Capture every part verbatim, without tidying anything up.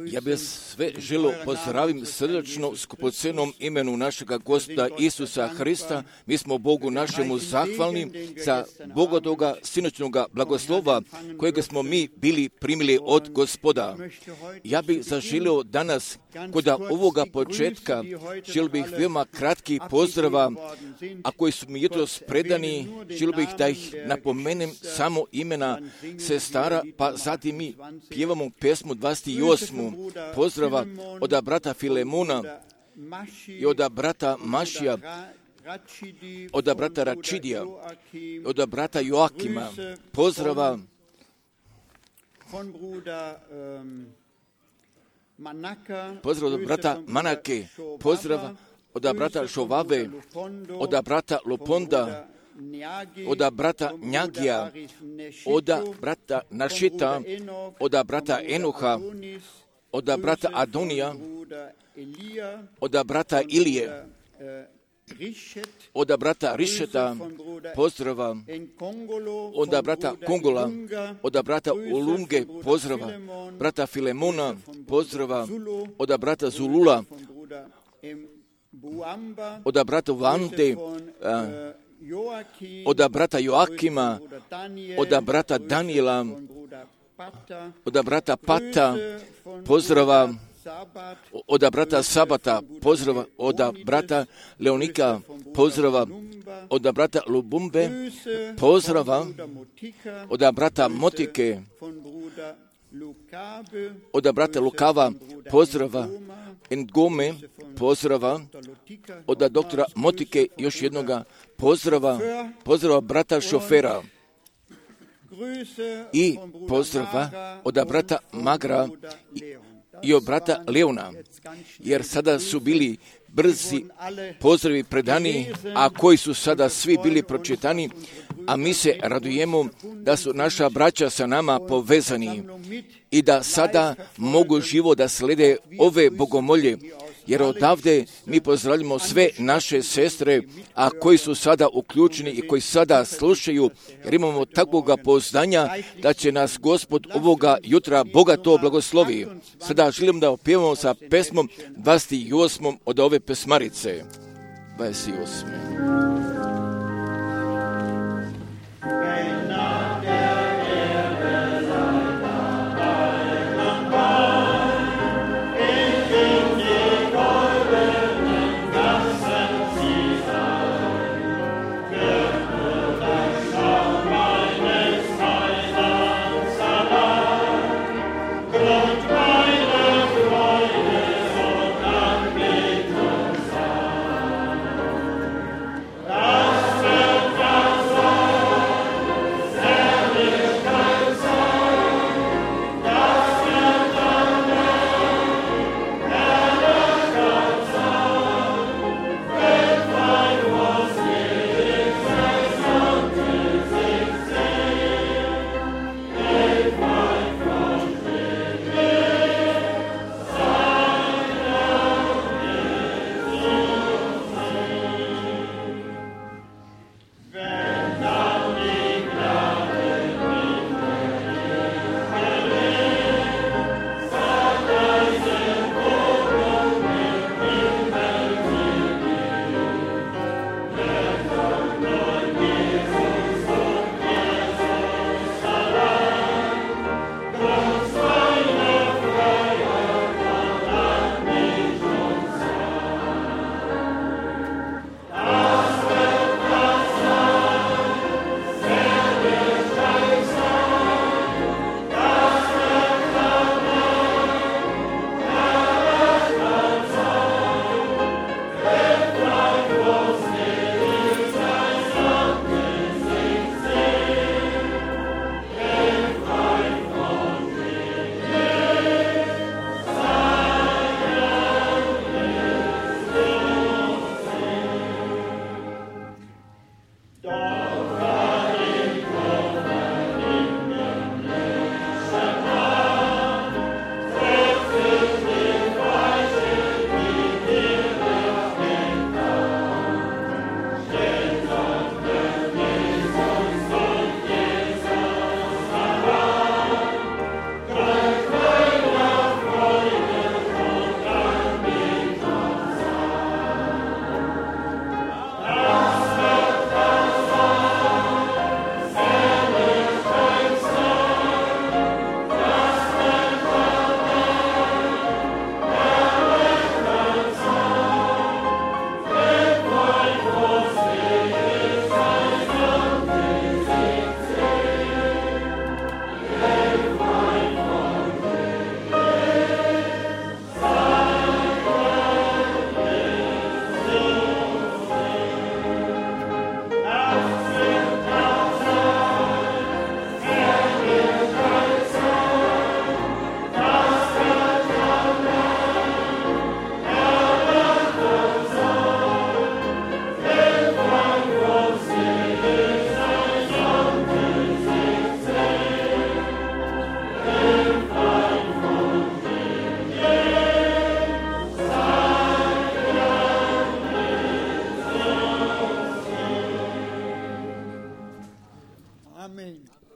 Ja bih sve želio pozdravim srdačno skupocenom imenu našega Gospoda Isusa Hrista. Mi smo Bogu našemu zahvalni za Bogotoga sinoćnoga blagoslova kojega smo mi bili primili od Gospoda. Ja bih zaželio danas kod ovoga početka, želio bih veoma kratki pozdrava, a koji su mi jutros predani, želio bih da ih napomenem samo imena sestara, pa zatim mi pjevamo pesmu dvadeset osmu pozdrava od brata Filemona i od brata Mašija, od brata Račidija, od brata Joakima, pozdrava pozdrav od brata Manake, pozdrav od brata Žovave, od brata Loponda, od brata Njagija, od brata Našita, od brata Enoha, od brata Adonija, od brata Ilije, od brata Rišeta, pozdrava, od brata Kongola, od brata Ulunge, pozdrava, brata Filemona, pozdrava, od brata Zulula, od brata Vante, od brata Joakima, od brata Daniela, od brata Pata, pozdrava, od brata Sabata, pozdrava, od brata Leonika, pozdrava, od brata Lubumbe, pozdrava, od brata Motike, od brata Lukava, pozdrava, Ngome, pozdrava, od doktora Motike, još jednoga pozdrava, pozdrava brata Šofera i pozdrava od brata Magra i od brata Leona, jer sada su bili brzi pozdravi predani, a koji su sada svi bili pročitani, a mi se radujemo da su naša braća sa nama povezani i da sada mogu živo da slede ove bogomolje, jer odavde mi pozdravljamo sve naše sestre, a koji su sada uključeni i koji sada slušaju, jer imamo takvoga poznanja da će nas Gospod ovoga jutra bogato blagoslovi. Sada želim da opjevamo sa pesmom dvadeset osmom od ove pesmarice. dvadeset osme.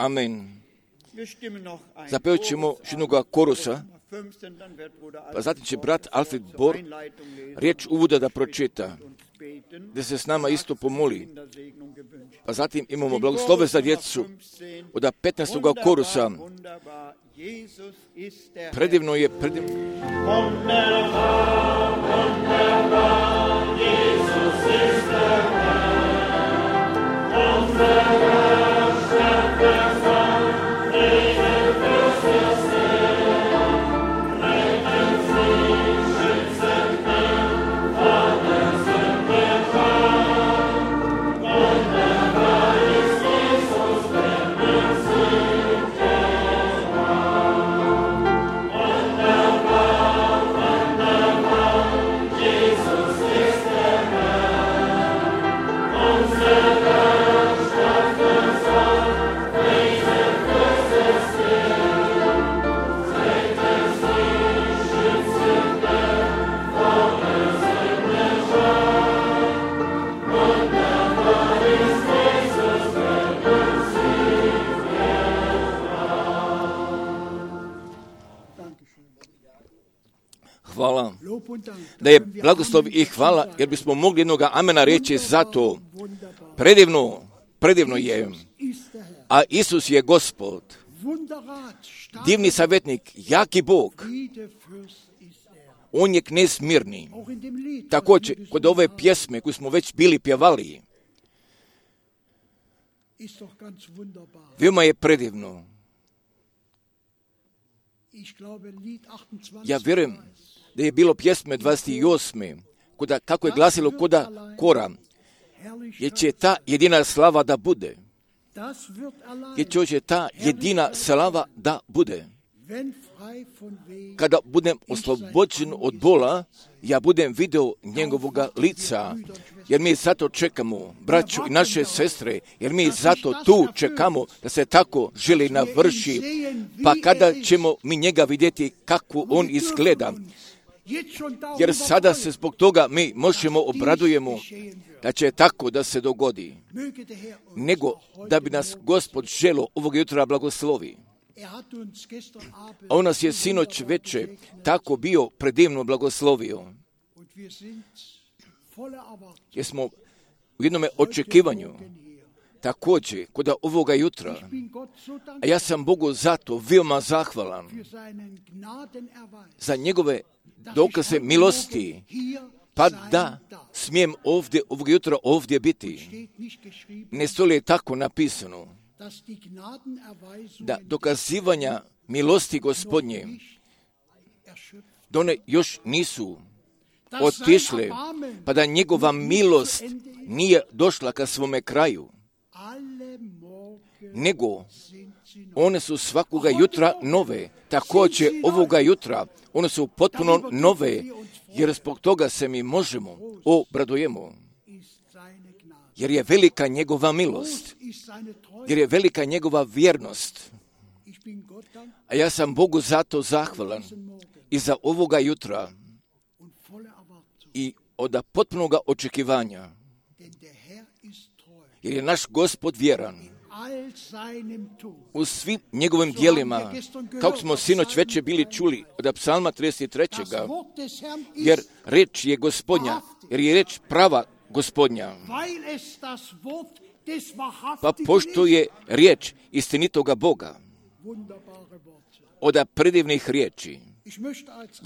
Amen. Zapevat ćemo jednoga korusa, pa zatim će brat Alfred Bor riječ uvoda da pročita, da se s nama isto pomoli. Pa zatim imamo blagoslove za djecu od petnaestog korusa. Predivno je, predivno. Hvala. Da je blagoslov i hvala, jer bismo mogli jednoga amena reći za to. Predivno, predivno je. A Isus je Gospod. Divni savjetnik, jaki Bog. On je knez mirni. Također, kod ove pjesme koju smo već bili pjevali, veoma je predivno. Ja vjerujem da je bilo pjesme dvadeset osme, kuda, kako je glasilo koda kora, jer će ta jedina slava da bude. Jer će ta jedina slava da bude. Kada budem oslobođen od bola, ja budem video njegovoga lica, jer mi zato čekamo, braću i naše sestre, jer mi zato tu čekamo da se tako želi navrši, pa kada ćemo mi njega vidjeti kako on izgleda, jer sada se zbog toga mi možemo obradujemo da će tako da se dogodi, nego da bi nas Gospod želo ovog jutra blagoslovi. A on nas je sinoć veče tako bio predivno blagoslovio. Jer smo u jednome očekivanju također kod ovoga jutra. A ja sam Bogu zato veoma zahvalan za njegove dokaze milosti, pa da smijem ovdje, ovog jutra ovdje biti. Ne stoji je tako napisano da dokazivanja milosti Gospodnje, da one još nisu otišle, pa da njegova milost nije došla ka svome kraju, nego one su svakoga jutra nove, također ovoga jutra, one su potpuno nove, jer zbog toga se mi možemo obradujemo. Jer je velika njegova milost, jer je velika njegova vjernost. A ja sam Bogu zato zahvalan i za ovoga jutra i od potpunoga očekivanja, jer je naš Gospod vjeran u svim njegovim dijelima, kako smo sinoć već bili čuli od Psalma trideset tri. Jer reč je Gospodnja, jer je reč prava Gospodnja. Pa pošto je riječ istinitoga Boga, od predivnih riječi,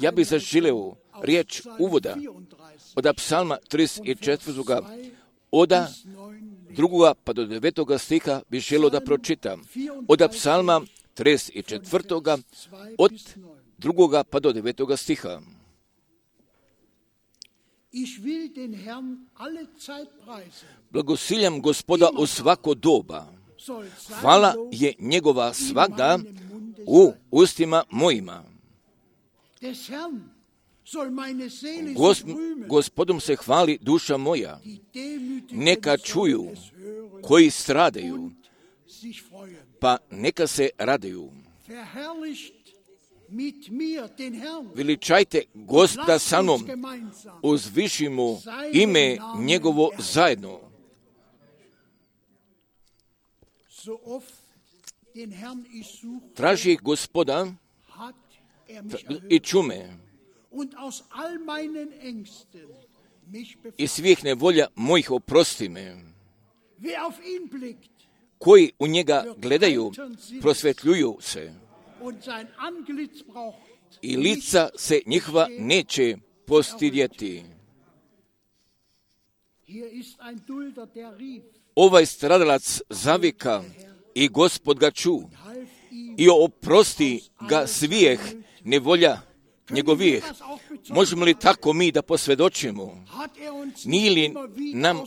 ja bih zaželeo riječ uvoda od Psalma trideset četiri. od drugoga pa do devetoga stiha bih želio da pročitam. Od Psalma trideset četiri. od drugoga pa do devetoga stiha. Blagosiljam Gospoda u svako doba. Hvala je njegova svagda u ustima mojima. Gos, gospodom se hvali duša moja. Neka čuju koji stradaju, pa neka se raduju. Veličajte Gospoda sa mnom, uzvišimo ime njegovo zajedno. Traži ih Gospoda i čume. I svih nevolja mojih oprosti me. Koji u njega gledaju, prosvetljuju se. I lica se njihova neće postidjeti. Ovaj stradalac zavika i Gospod ga ču i oprosti ga svijeh nevolja njegovih. Možemo li tako mi da posvjedočimo? Nije li nam,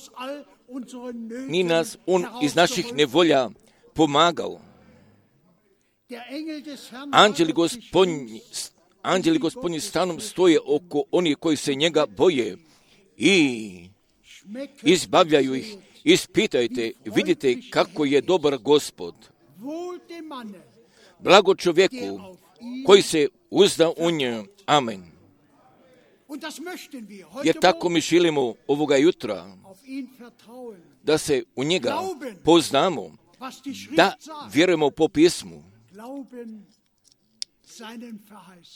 ni nas on iz naših nevolja pomagao? Anđeli gospodnji, anđeli gospodnji stanom stoje oko onih koji se njega boje i izbavljaju ih. Ispitajte, vidite kako je dobar Gospod. Blago čovjeku koji se uzda u nje. Amen. Jer tako mi želimo ovoga jutra, da se u njega poznamo, da vjerujemo po pismu,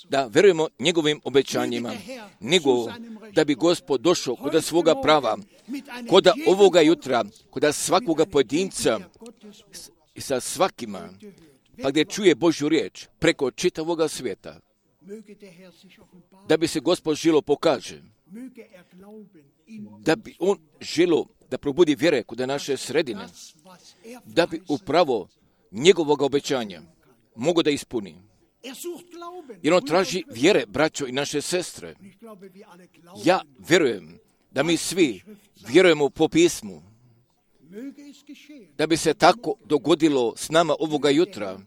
da vjerujemo njegovim obećanjima, nego da bi Gospod došao kod svoga prava, kod ovoga jutra, kod svakoga pojedinca i sa svakima, pa gdje čuje Božju riječ preko čitavoga svijeta, da bi se Gospod želo pokaže, da bi on želo da probudi vjere kod naše sredine, da bi upravo njegovog obećanja mogo da ispuni. Jer on traži vjere, braćo i naše sestre. Ja vjerujem da mi svi vjerujemo po pismu, da bi se tako dogodilo s nama ovoga jutra,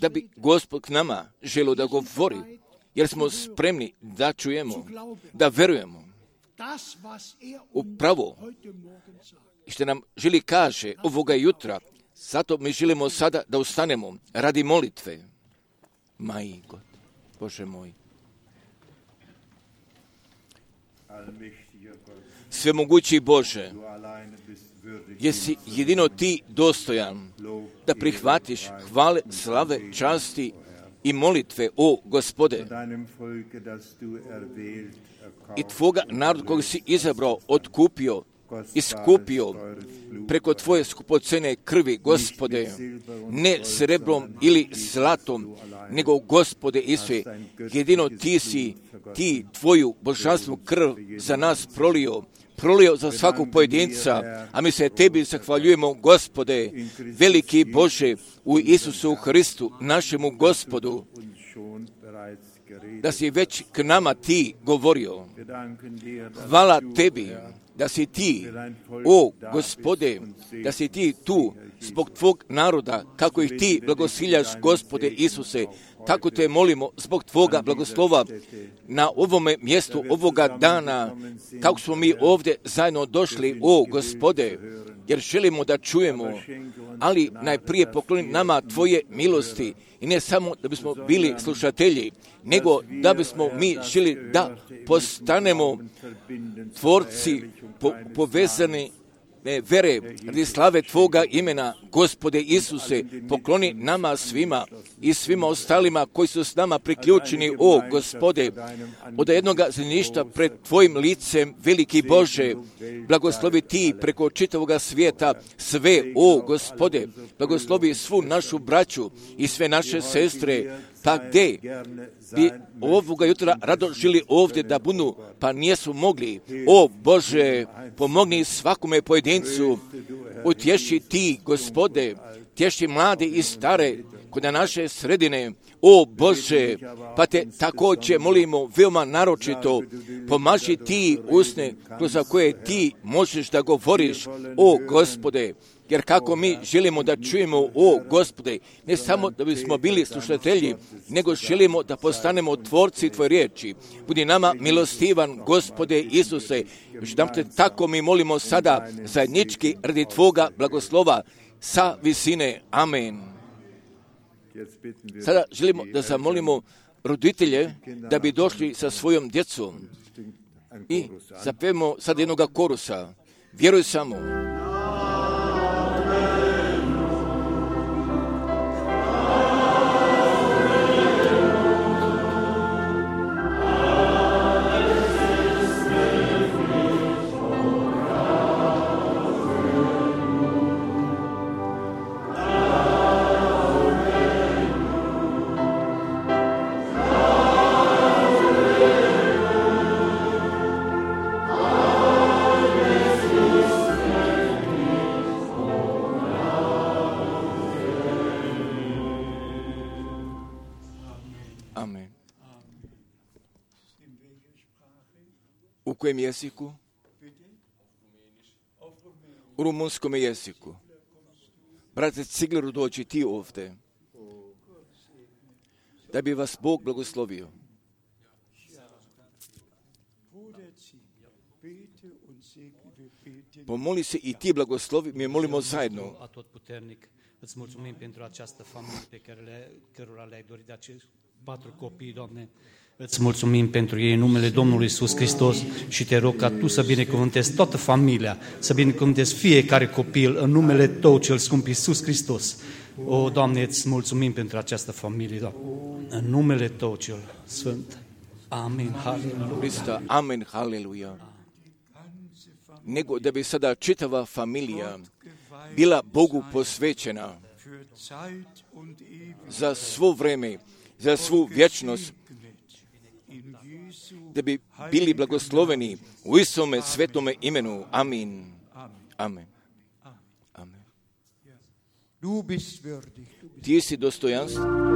da bi Gospod k nama želio da govori, jer smo spremni da čujemo, da vjerujemo upravo što nam želi kaže ovoga jutra. Zato mi želimo sada da ustanemo radi molitve. Maj God, Bože moj. Svemogući Bože, jesi jedino ti dostojan da prihvatiš hvale, slave, časti i molitve, o Gospode, i tvoga narod kojeg si izabrao, otkupio, iskupio preko tvoje skupocene krvi, Gospode, ne srebrom ili zlatom, nego Gospode Isuse, jedino ti si, ti tvoju božanstvenu krv za nas prolio, prolio za svakog pojedinca, a mi se tebi zahvaljujemo, Gospode, veliki Bože, u Isusu Hristu, našemu Gospodu, da si već k nama ti govorio. Hvala tebi da si ti, o Gospode, da si ti tu zbog tvog naroda, kako ih ti blagosiljaš, Gospode Isuse, tako te molimo zbog tvoga blagoslova na ovome mjestu, ovoga dana, kako smo mi ovdje zajedno došli, o Gospode, jer želimo da čujemo, ali najprije pokloni nama tvoje milosti, i ne samo da bismo bili slušatelji, nego da bismo mi želi da postanemo tvorci po, povezani ne, vere radi slave tvoga imena, Gospode Isuse, pokloni nama svima i svima ostalima koji su s nama priključeni, o Gospode, od jednoga zemljišta pred tvojim licem, veliki Bože, blagoslovi ti preko čitavoga svijeta sve, o Gospode, blagoslovi svu našu braću i sve naše sestre, pa gdje bi ovoga jutra rado žili ovdje da budu, pa nijesu mogli. O Bože, pomogni svakome pojedincu, utješi ti, Gospode, tješi mlade i stare kod naše sredine. O Bože, pa te također molimo veoma naročito, pomaži ti usne kroz koje ti možeš da govoriš, o Gospode, jer kako mi želimo da čujemo, o Gospode, ne samo da bismo bili slušatelji, nego želimo da postanemo tvorci tvoje riječi. Budi nama milostivan, Gospode Isuse, još nam te tako mi molimo sada zajednički radi tvoga blagoslova sa visine. Amen. Sada želimo da zamolimo roditelje da bi došli sa svojom djecom i zapevamo sad jednoga korusa. Vjeruj samo. Amen. U kojem jeziku? U rumunskom jeziku. Brate Cigleru, dođi ti ovdje. Da bi vas Bog blagoslovio. Pomoli se i ti blagoslovi, mi molimo zajedno. Atotputernic, îți mulțumim pentru această familie pe care le, cărora le-ai dorit de acești patru copii, Doamne. Îți mulțumim pentru ei în numele Domnului Iisus Hristos și te rog ca Tu să binecuvântezi toată familia, să binecuvântezi fiecare copil în numele Tău cel scump Iisus Hristos. O, Doamne, îți mulțumim pentru această familie, Doamne, în numele Tău cel sfânt. Amin, haleluja. Amen, haleluja. Nego da bi sada čitava familija bila Bogu posvećena za svo vreme, za svu vječnost, da bi bili blagosloveni u Isome svetome imenu. Amin. Amen. Amen. Ti si dostojanstven.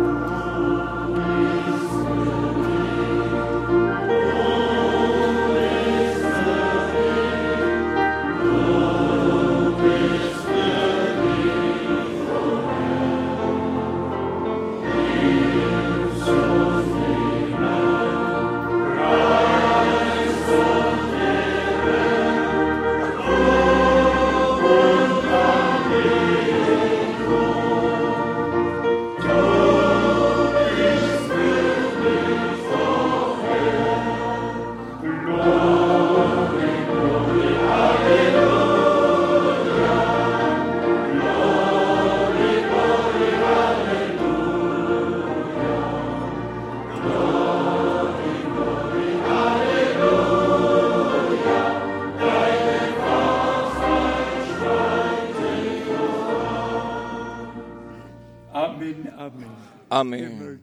Amen.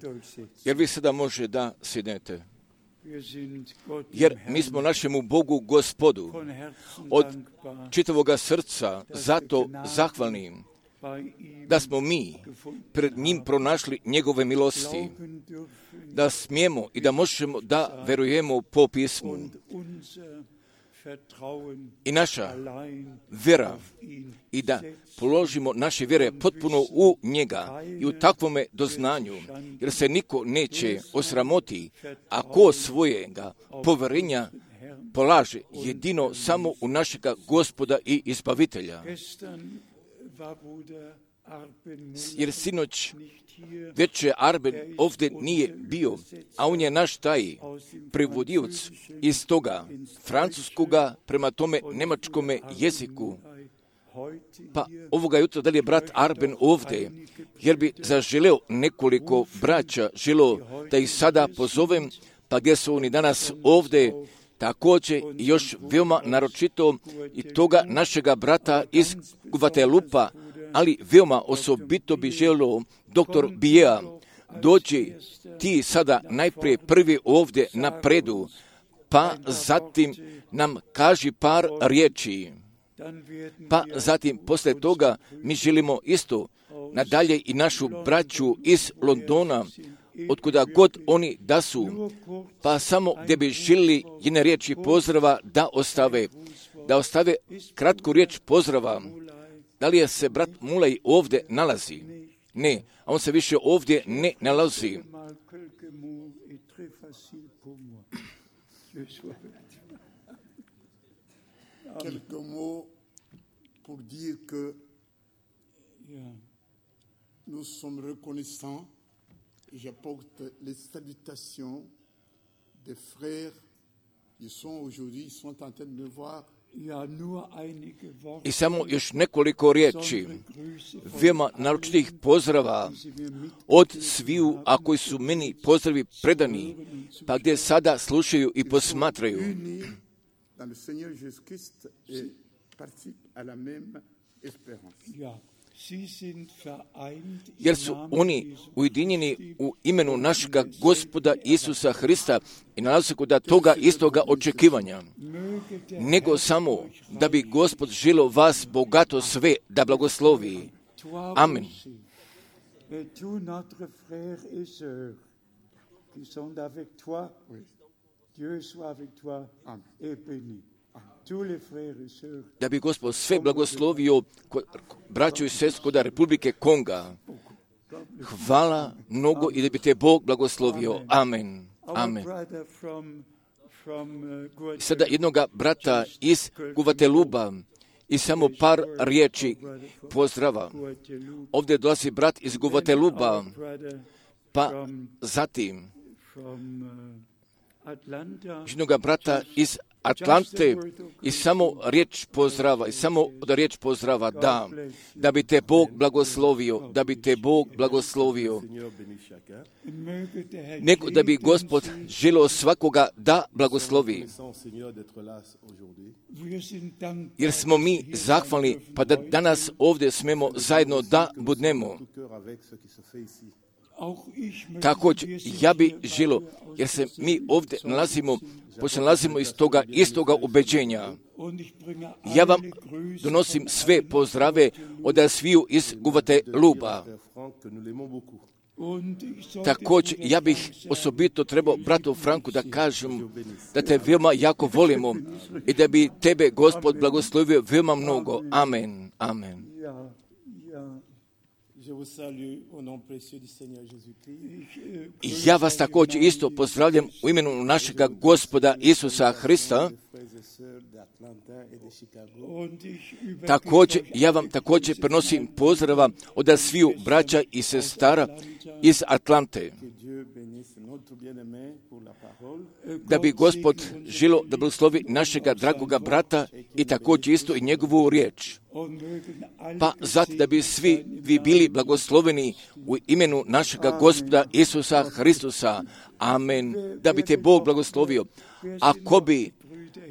Jer vi sada može da sjednete. Jer mi smo našemu Bogu Gospodu od čitavoga srca zato zahvalni da smo mi pred njim pronašli njegove milosti, da smijemo i da možemo da verujemo po pismu. I naša vjera i da položimo naše vjere potpuno u njega i u takvome doznanju, jer se niko neće osramoti ako svojega povjerenja polaže jedino samo u našega Gospoda i Izbavitelja. Jer sinoć večer Arben ovdje nije bio, a on je naš taj prevodioc iz toga francuskoga prema tome njemačkome jeziku. Pa ovoga jutra da li je brat Arben ovdje, jer bi zaželeo nekoliko braća, želeo da ih sada pozovem, pa gdje su oni danas ovdje, također i još veoma naročito i toga našega brata iz Guatelupa, ali veoma osobito bi želio doktor Bijea, dođi ti sada najprije prvi ovdje napredu, pa zatim nam kaži par riječi. Pa zatim poslije toga mi želimo isto nadalje i našu braću iz Londona, otkuda god oni da su, pa samo gdje bi želili jedne riječi pozdrava da ostave, da ostave kratku riječ pozdrava. Da li je se brat Mulej ovdje nalazi? Ne, a on se više ovdje ne nalazi. Quelques mots pour dire que nous sommes reconnaissants et j'apporte les salutations des frères qui sont aujourd'hui, ils sont en train de me voir. I samo još nekoliko riječi, veoma naročitih pozdrava od sviju, a koji su meni pozdravi predani, pa gdje sada slušaju i posmatraju. Jer su oni ujedinjeni u imenu našega Gospoda Isusa Hrista i nalaze se kod toga istoga očekivanja. Nego samo da bi Gospod želio vas bogato sve da blagoslovi. Amen. Da bi Gospod sve blagoslovio braću i sestru kod Republike Konga. Hvala mnogo i da bi te Bog blagoslovio. Amen. Amen. Sada jednoga brata iz Guvateluba i samo par riječi pozdrava. Ovdje dolazi brat iz Guvateluba, pa zatim jednoga brata iz Atlante i samo riječ pozdrava, i samo da riječ pozdrava, da, da bi te Bog blagoslovio, da bi te Bog blagoslovio. Nego da bi Gospod želio svakoga da blagoslovi. Jer smo mi zahvalni, pa da danas ovdje smemo zajedno da budnemo. Također, ja bi želio, jer se mi ovdje nalazimo, pošto nalazimo iz toga istoga ubeđenja. Ja vam donosim sve pozdrave od sviju iz Guvateluba. Također, ja bih osobito trebao bratu Franku da kažem da te veoma jako volimo i da bi tebe Gospod blagoslovio veoma mnogo. Amen. Amen. Ja vas također isto pozdravljam u imenu našega Gospoda Isusa Hrista. Također, ja vam također prenosim pozdrava od sviju braća i sestara iz Atlante. Da bi Gospod želio da blagoslovi našega dragoga brata i također isto i njegovu riječ. Pa zato da bi svi vi bili blagosloveni u imenu našega Gospoda Isusa Hristusa. Amen. Da bi te Bog blagoslovio. Ako bi,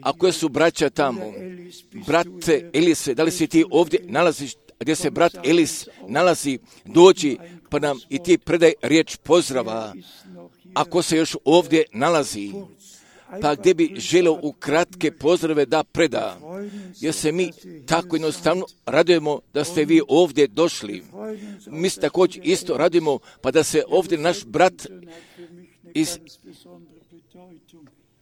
ako su braća tamo, brate Elise, da li si ti ovdje nalaziš, gdje se brat Elis nalazi, dođi pa nam i ti predaj riječ pozdrava. Ako se još ovdje nalazi, pa gdje bi želio u kratke pozdrave da preda, jer se mi tako jednostavno radujemo da ste vi ovdje došli. Mi se također isto radujemo, pa da se ovdje naš brat iz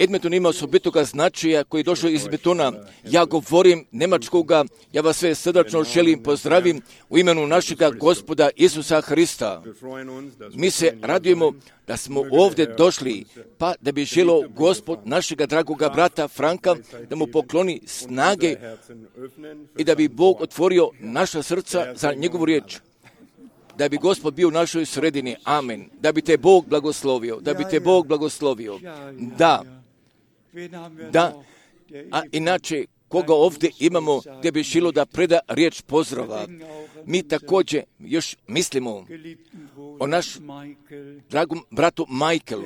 Edmonton ima osobitoga značaja koji je došao iz Betona. Ja govorim njemačkoga, ja vas sve srdačno želim pozdravim u imenu našega Gospoda Isusa Hrista. Mi se radujemo da smo ovdje došli, pa da bi želio Gospod našega dragoga brata Franka da mu pokloni snage i da bi Bog otvorio naša srca za njegovu riječ. Da bi Gospod bio u našoj sredini. Amen. Da bi te Bog blagoslovio. Da bi te Bog blagoslovio. Da. Da. A inače, koga ovdje imamo gdje bi želio da preda riječ pozdrava. Mi također još mislimo o naš dragom bratu Michaelu,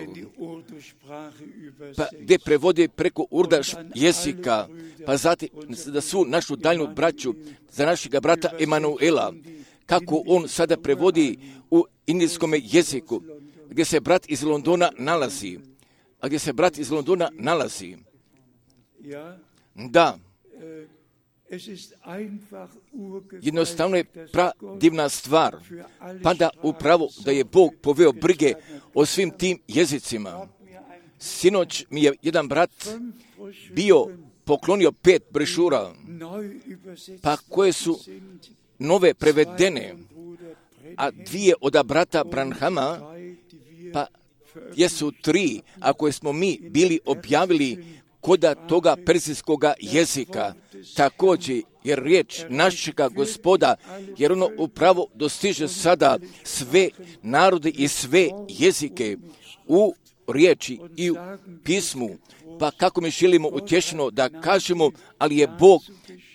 pa gdje prevodi preko urda jezika, pa zatim da su našu daljnu braću za našega brata Emanuela, kako on sada prevodi u indijskom jeziku, gdje se brat iz Londona nalazi. A gdje se brat iz Londona nalazi. Da. Jednostavno je pradivna stvar. Pa da upravo da je Bog poveo brige o svim tim jezicima. Sinoć mi je jedan brat bio poklonio pet brešura, pa koje su nove prevedene, a dvije od brata Branhama, pa jesu tri, a koje smo mi bili objavili koda toga persijskoga jezika. Također, jer riječ našega Gospoda, jer ono upravo dostiže sada sve narode i sve jezike u riječi i u pismu. Pa kako mi želimo utješeno da kažemo, ali je Bog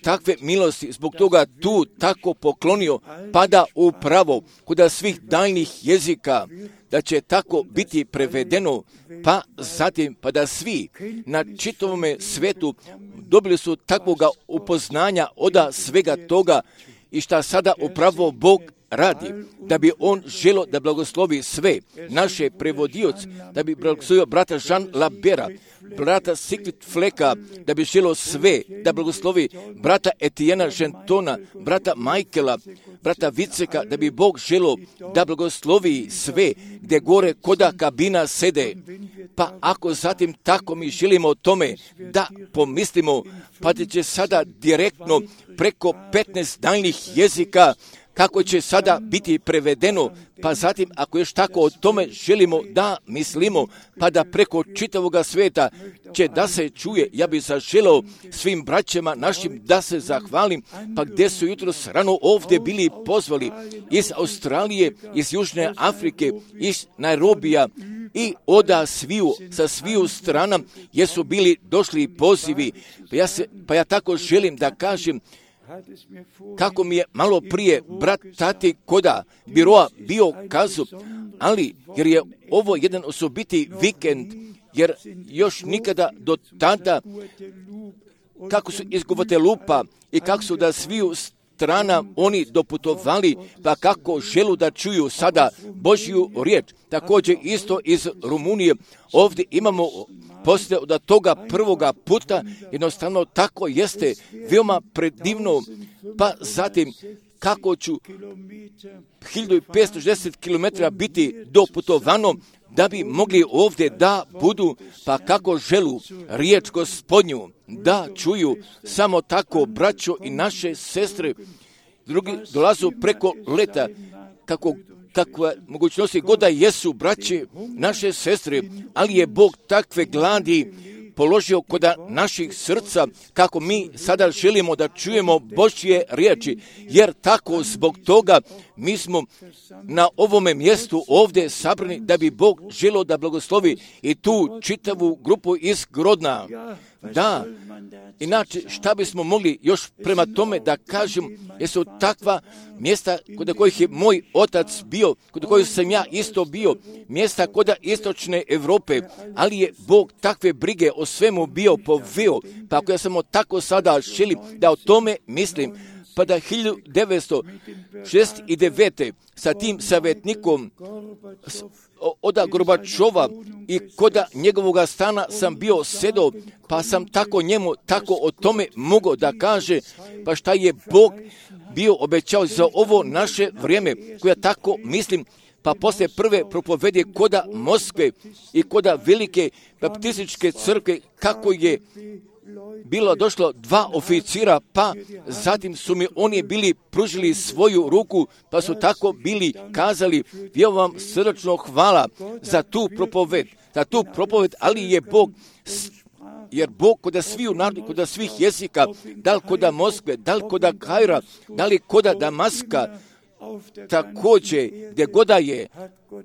takve milosti zbog toga tu tako poklonio, pa da upravo kod svih daljnih jezika, da će tako biti prevedeno, pa zatim pa da svi na čitavome svetu dobili su takvoga upoznanja od svega toga i šta sada upravo Bog radi, da bi on želo da blagoslovi sve naše prevodioce, da bi blagoslovio brata Jean Labera, brata Sigrid Fleka, da bi želo sve, da blagoslovi brata Etiena Gentona, brata Michaela, brata Viceka, da bi Bog želo da blagoslovi sve gdje gore koda kabina sede. Pa ako zatim tako mi želimo o tome da pomislimo, pa da će sada direktno preko petnaest daljnih jezika kako će sada biti prevedeno, pa zatim ako još tako o tome želimo da mislimo, pa da preko čitavoga svijeta će da se čuje, ja bih zaželao svim braćama našim da se zahvalim, pa gdje su jutros rano ovdje bili pozvali iz Australije, iz Južne Afrike, iz Nairobija i oda sviju, sa sviju strana, jesu bili došli pozivi, pa ja, se, pa ja tako želim da kažem, kako mi je malo prije brat Tati Koda biroa bio kazu, ali jer je ovo jedan osobiti vikend, jer još nikada do tada kako su iz Guatelupa i kako su da sviju strana oni doputovali, pa kako želu da čuju sada Božju riječ. Također isto iz Rumunije ovdje imamo poslije od toga prvoga puta, jednostavno tako jeste veoma predivno, pa zatim kako ću hiljadu petsto šezdeset kilometara biti doputovano da bi mogli ovdje da budu, pa kako želu riječ Gospodnju da čuju, samo tako braćo i naše sestre, drugi dolazu preko leta, kako kakve mogućnosti god da jesu braće, naše sestre, ali je Bog takve gladi položio kod naših srca, kako mi sada želimo da čujemo Božje riječi, jer tako zbog toga mi smo na ovome mjestu ovdje sabrani da bi Bog želio da blagoslovi i tu čitavu grupu iz Grodna. Da, inače šta bismo mogli još prema tome da kažem, jesu takva mjesta kod kojih je moj otac bio, kod kojih sam ja isto bio, mjesta kod istočne Europe, ali je Bog takve brige o svemu bio poveo, pa ako ja samo tako sada želim da o tome mislim, pa da hiljadu devetsto šezdeset devete sa tim savjetnikom oda Gorbačova i koda njegovoga stana sam bio sedao, pa sam tako njemu tako o tome mogao da kaže, pa šta je Bog bio obećao za ovo naše vrijeme, koja tako mislim, pa poslije prve propovedi koda Moskve i koda velike baptističke crkve, kako je bilo došlo dva oficira, pa zatim su mi oni bili pružili svoju ruku, pa su tako bili kazali, ja vam srdačno hvala za tu propoved, za tu propoved, ali je Bog, jer Bog kod sviju naroda, kod svih jezika, da li kod Moskve, da li kod Kaira, da li kod Damaska, također gdje goda je,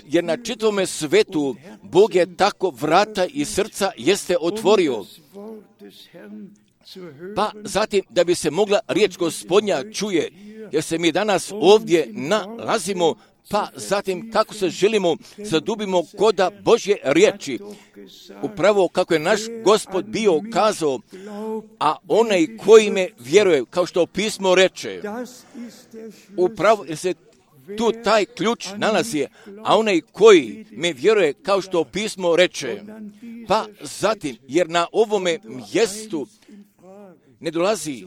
jer na čitavome svetu Bog je tako vrata i srca jeste otvorio. Pa zatim da bi se mogla riječ Gospodnja čuje, jer se mi danas ovdje nalazimo, pa zatim kako se želimo zadubimo koda Božje riječi. Upravo kako je naš Gospod bio kazao, a onaj koji me vjeruje, kao što pismo reče, upravo se tu taj ključ nalazi, a onaj koji me vjeruje, kao što pismo reče, pa zatim, jer na ovome mjestu ne dolazi,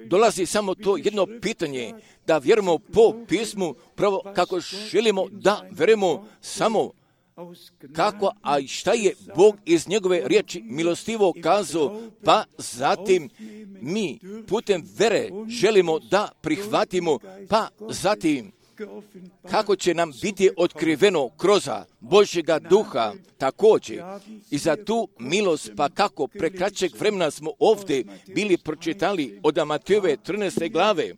dolazi samo to jedno pitanje, da vjerujemo po pismu, pravo kako želimo da vjerujemo samo kako, a šta je Bog iz njegove riječi milostivo kazao, pa zatim mi putem vere želimo da prihvatimo, pa zatim kako će nam biti otkriveno kroz Božjega duha također i za tu milost, pa kako prekraćeg vremena smo ovdje bili pročitali od Matejove trinaeste glave.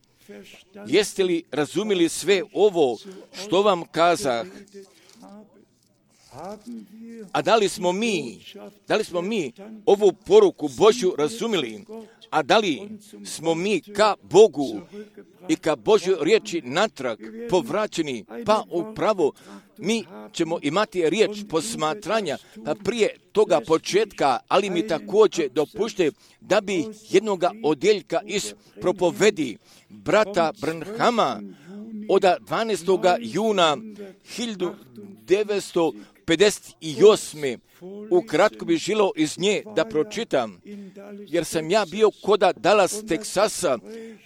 Jeste li razumili sve ovo što vam kazah? A da li smo mi, da li smo mi ovu poruku Božju razumili? A da li smo mi ka Bogu i ka Božjoj riječi natrag povraćeni? Pa upravo mi ćemo imati riječ posmatranja, pa prije toga početka, ali mi također dopušte da bi jednoga odjeljka iz propovedi brata Branhama od dvanaestog juna hiljadu devetsto pedeset osme ukratko bi želio iz nje da pročitam, jer sam ja bio koda Dallas, Teksasa,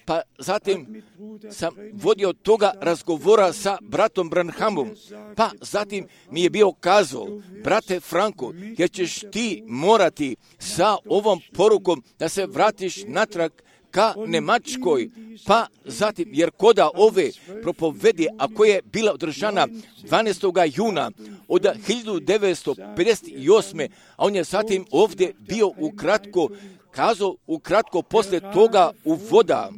pa zatim sam vodio toga razgovora sa bratom Branhamom, pa zatim mi je bio kazao, brate Franko, jer ćeš ti morati sa ovom porukom da se vratiš natrag ka Njemačkoj, pa zatim, jer koda ove propovedi, a koja je bila održana dvanaestog juna od hiljadu devetsto pedeset osme, a on je zatim ovdje bio ukratko, kazao ukratko posle toga uvoda,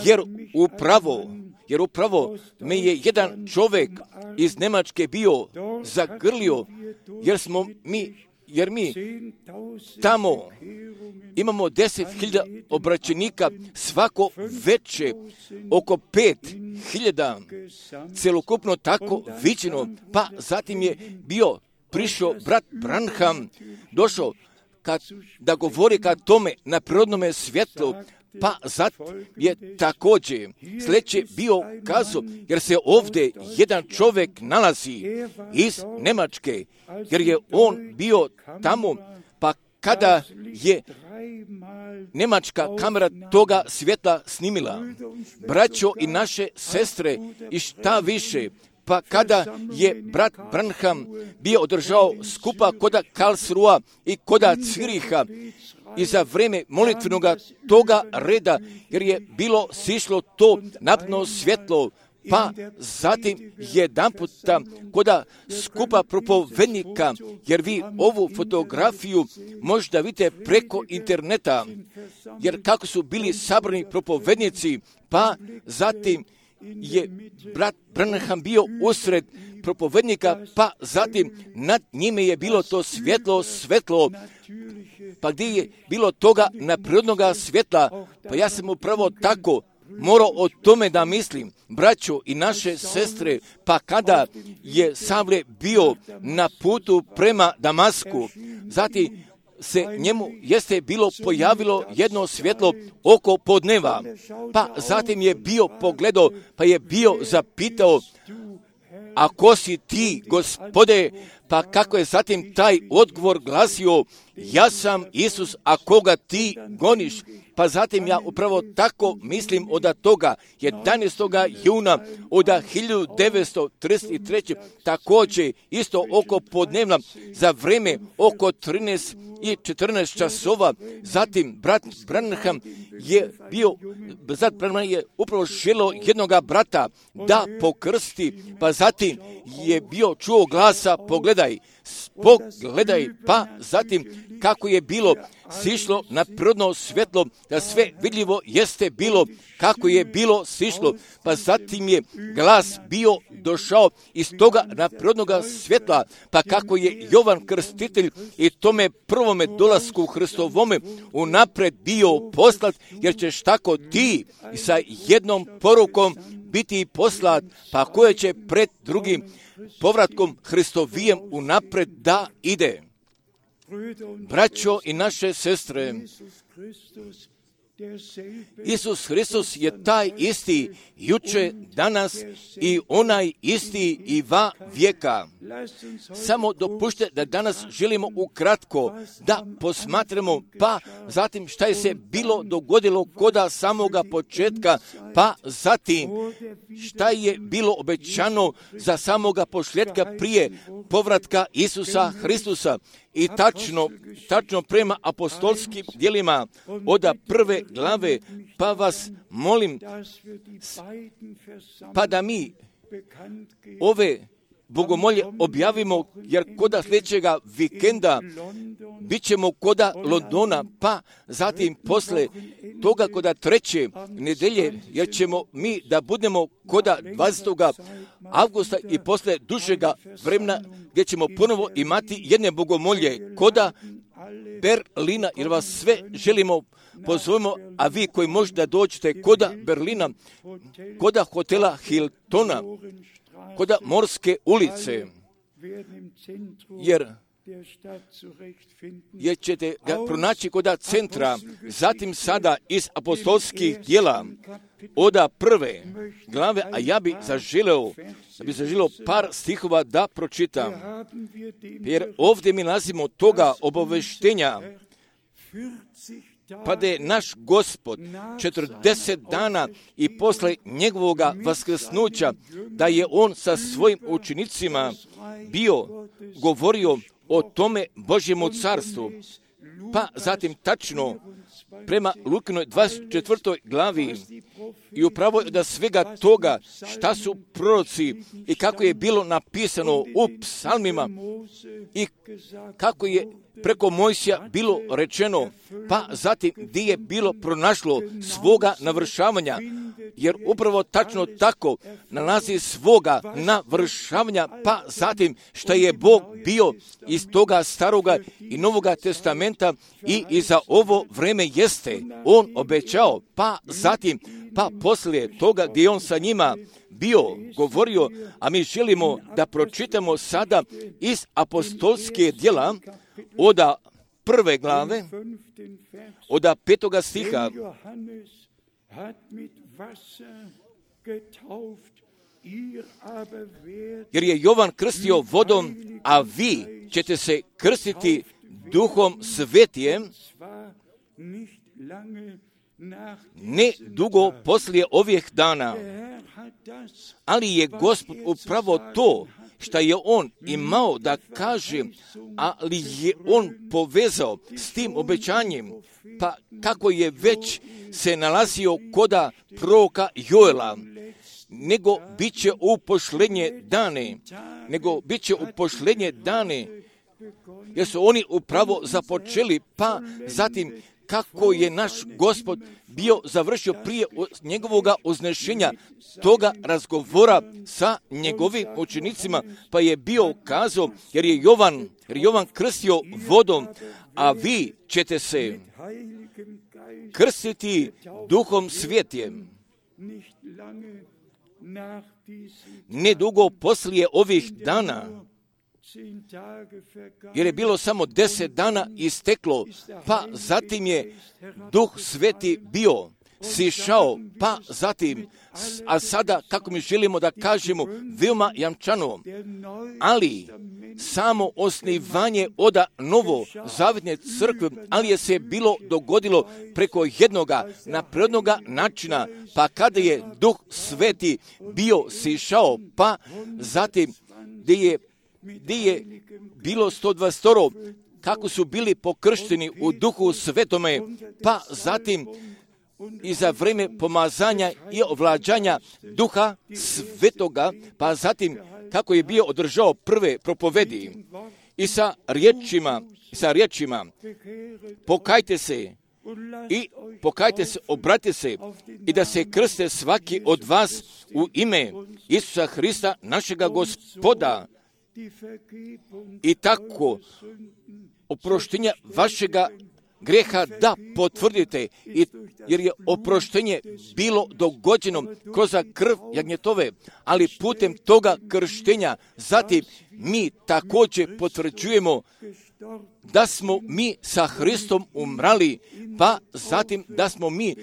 jer upravo, jer upravo me je jedan čovjek iz Njemačke bio zagrlio, jer smo mi jer mi tamo imamo deset hiljada obraćenika, svako veće oko pet hiljada, celokupno tako viđeno, pa zatim je bio prišao brat Branham, došao kad, da govori ka tome na prirodnome svjetlu, pa zatim je također sljedeće bio kazao, jer se ovdje jedan čovjek nalazi iz Njemačke, jer je on bio tamo, pa kada je njemačka kamera toga svjetla snimila, braćo i naše sestre i šta više, pa kada je brat Branham bio održao skupa koda Karlsruha i koda Ciriha, i za vrijeme molitvenog toga reda, jer je bilo sišlo to napno svjetlo, pa zatim jedan puta koda skupa propovednika, jer vi ovu fotografiju možda vidite preko interneta, jer kako su bili sabrani propovednici, pa zatim je brat Branham bio usred propovednika, pa zatim nad njime je bilo to svjetlo, svetlo, pa gdje je bilo toga neprirodnog svjetla, pa ja sam upravo tako morao o tome da mislim, braćo i naše sestre, pa kada je Savle bio na putu prema Damasku, zatim se njemu jeste bilo pojavilo jedno svjetlo oko podneva, pa zatim je bio pogledao, pa je bio zapitao, a ko si ti, Gospode? Pa kako je zatim taj odgovor glasio, ja sam Isus, a koga ti goniš? Pa zatim ja upravo tako mislim od toga jedanaestog juna od hiljadu devetsto trideset treće također isto oko podnevna za vrijeme oko trinaest i četrnaest časova. Zatim brat Branham je bio, brat Branham je upravo želio jednoga brata da pokrsti, pa zatim je bio čuo glasa, pogledaj, pogledaj, pa zatim kako je bilo sišlo na prirodno svjetlo, da sve vidljivo jeste bilo kako je bilo sišlo, pa zatim je glas bio došao iz toga na prirodnog svjetla, pa kako je Jovan Krstitelj i tome prvome dolasku Hristovome unapred bio poslat, jer ćeš tako ti sa jednom porukom biti poslat, pa koje će pred drugim povratkom Hristovijem unapred da ide. Braćo i naše sestre, Isus Hristos je taj isti juče, danas i onaj isti i va vijeka. Samo dopušte da danas želimo ukratko da posmatramo, pa zatim šta je se bilo dogodilo koda samoga početka, pa zatim šta je bilo obećano za samoga posljedka prije povratka Isusa Hristusa. I tačno, tačno prema apostolskim djelima od prve glave, pa vas molim, pa da mi ove bogomolje objavimo, jer koda sljedećega vikenda bit ćemo koda Londona, pa zatim posle toga koda treće nedelje, jer ćemo mi da budemo koda dvadesetog avgusta i posle dužega vremena, gdje ćemo ponovo imati jedne bogomolje koda Berlina, jer vas sve želimo pozovemo, a vi koji možda dođete koda Berlina, koda hotela Hiltona, koda Morske ulice, jer jer ćete ga pronaći kod centra, zatim sada iz apostolskih djela, oda prve glave, a ja bi zaželeo, da bi zaželeo par stihova da pročitam, jer ovdje mi nalazimo toga obaveštenja, pa da je naš Gospod četrdeset dana i posle njegovoga vaskrsnuća, da je on sa svojim učenicima bio govorio o tome Božjemu carstvu. Pa zatim tačno prema Lukinoj dvadeset četvrtoj glavi i upravo da svega toga šta su proroci i kako je bilo napisano u psalmima i kako je preko Mojsija bilo rečeno, pa zatim gdje je bilo pronašlo svoga navršavanja, jer upravo tačno tako nalazi svoga navršavanja, pa zatim što je Bog bio iz toga staroga i novoga testamenta i i za ovo vreme jeste on obećao, pa zatim pa poslije toga gdje on sa njima bio govorio, a mi želimo da pročitamo sada iz apostolske djela oda prve glave, oda petoga stiha. Jer je Jovan krstio vodom, a vi ćete se krstiti Duhom Svetijem, ne dugo poslije ovih dana. Ali je Gospod upravo to što je on imao da kaže, ali je on povezao s tim obećanjem, pa kako je već se nalazio koda proroka Joela, nego bit će u posljednje dane, nego bit će u posljednje dane, jer su oni upravo započeli, pa zatim kako je naš Gospod bio završio prije njegovoga uznešenja toga razgovora sa njegovim učenicima, pa je bio kazao, jer je Jovan, jer Jovan krstio vodom, a vi ćete se krstiti Duhom Svetijem. Nedugo poslije ovih dana, jer je bilo samo deset dana isteklo, pa zatim je Duh Sveti bio sišao, pa zatim, a sada, kako mi želimo da kažemo, veoma jamčano, ali samo osnivanje oda novo zavjetne crkve, ali je se bilo dogodilo preko jednoga naprednoga načina, pa kada je Duh Sveti bio sišao, pa zatim gdje je gdje je bilo sto dvadeset kako su bili pokršteni u Duhu Svetome, pa zatim i za vrijeme pomazanja i ovlađanja Duha Svetoga, pa zatim kako je bio održao prve propovedi i sa riječima, sa riječima pokajte se i pokajte se, obratite se i da se krste svaki od vas u ime Isusa Hrista, našega Gospoda, i tako oproštenja vašega greha da potvrdite, i, jer je oproštenje bilo dogođeno kroz krv jagnjetove, ali putem toga krštenja zatim mi također potvrđujemo da smo mi sa Hristom umrali, pa zatim da smo mi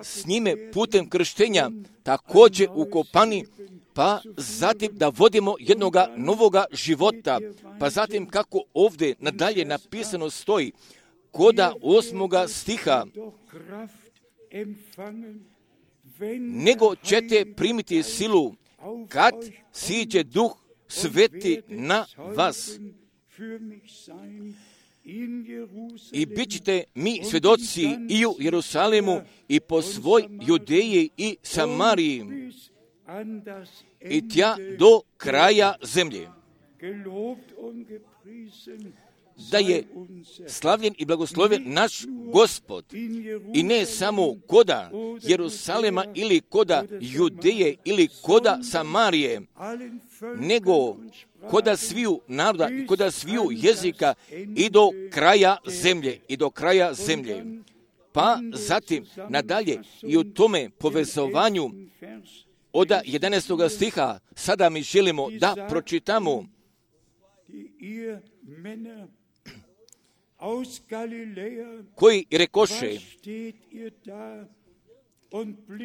s njime putem krštenja također ukopani, pa zatim da vodimo jednoga novoga života, pa zatim kako ovdje nadalje napisano stoji, koda osmoga stiha, nego ćete primiti silu kad siđe Duh Sveti na vas. I bit ćete mi svjedoci i u Jerusalimu i po svoj Judeji i Samariji i tja do kraja zemlje. Da je slavljen i blagosloven naš Gospod, i ne samo koda Jerusalema ili koda Judeje ili koda Samarije, nego koda sviju naroda i koda sviju jezika i do kraja zemlje, i do kraja zemlje. Pa zatim nadalje i u tome povezovanju od jedanaestog stiha sada mi želimo da pročitamo koji rekoše: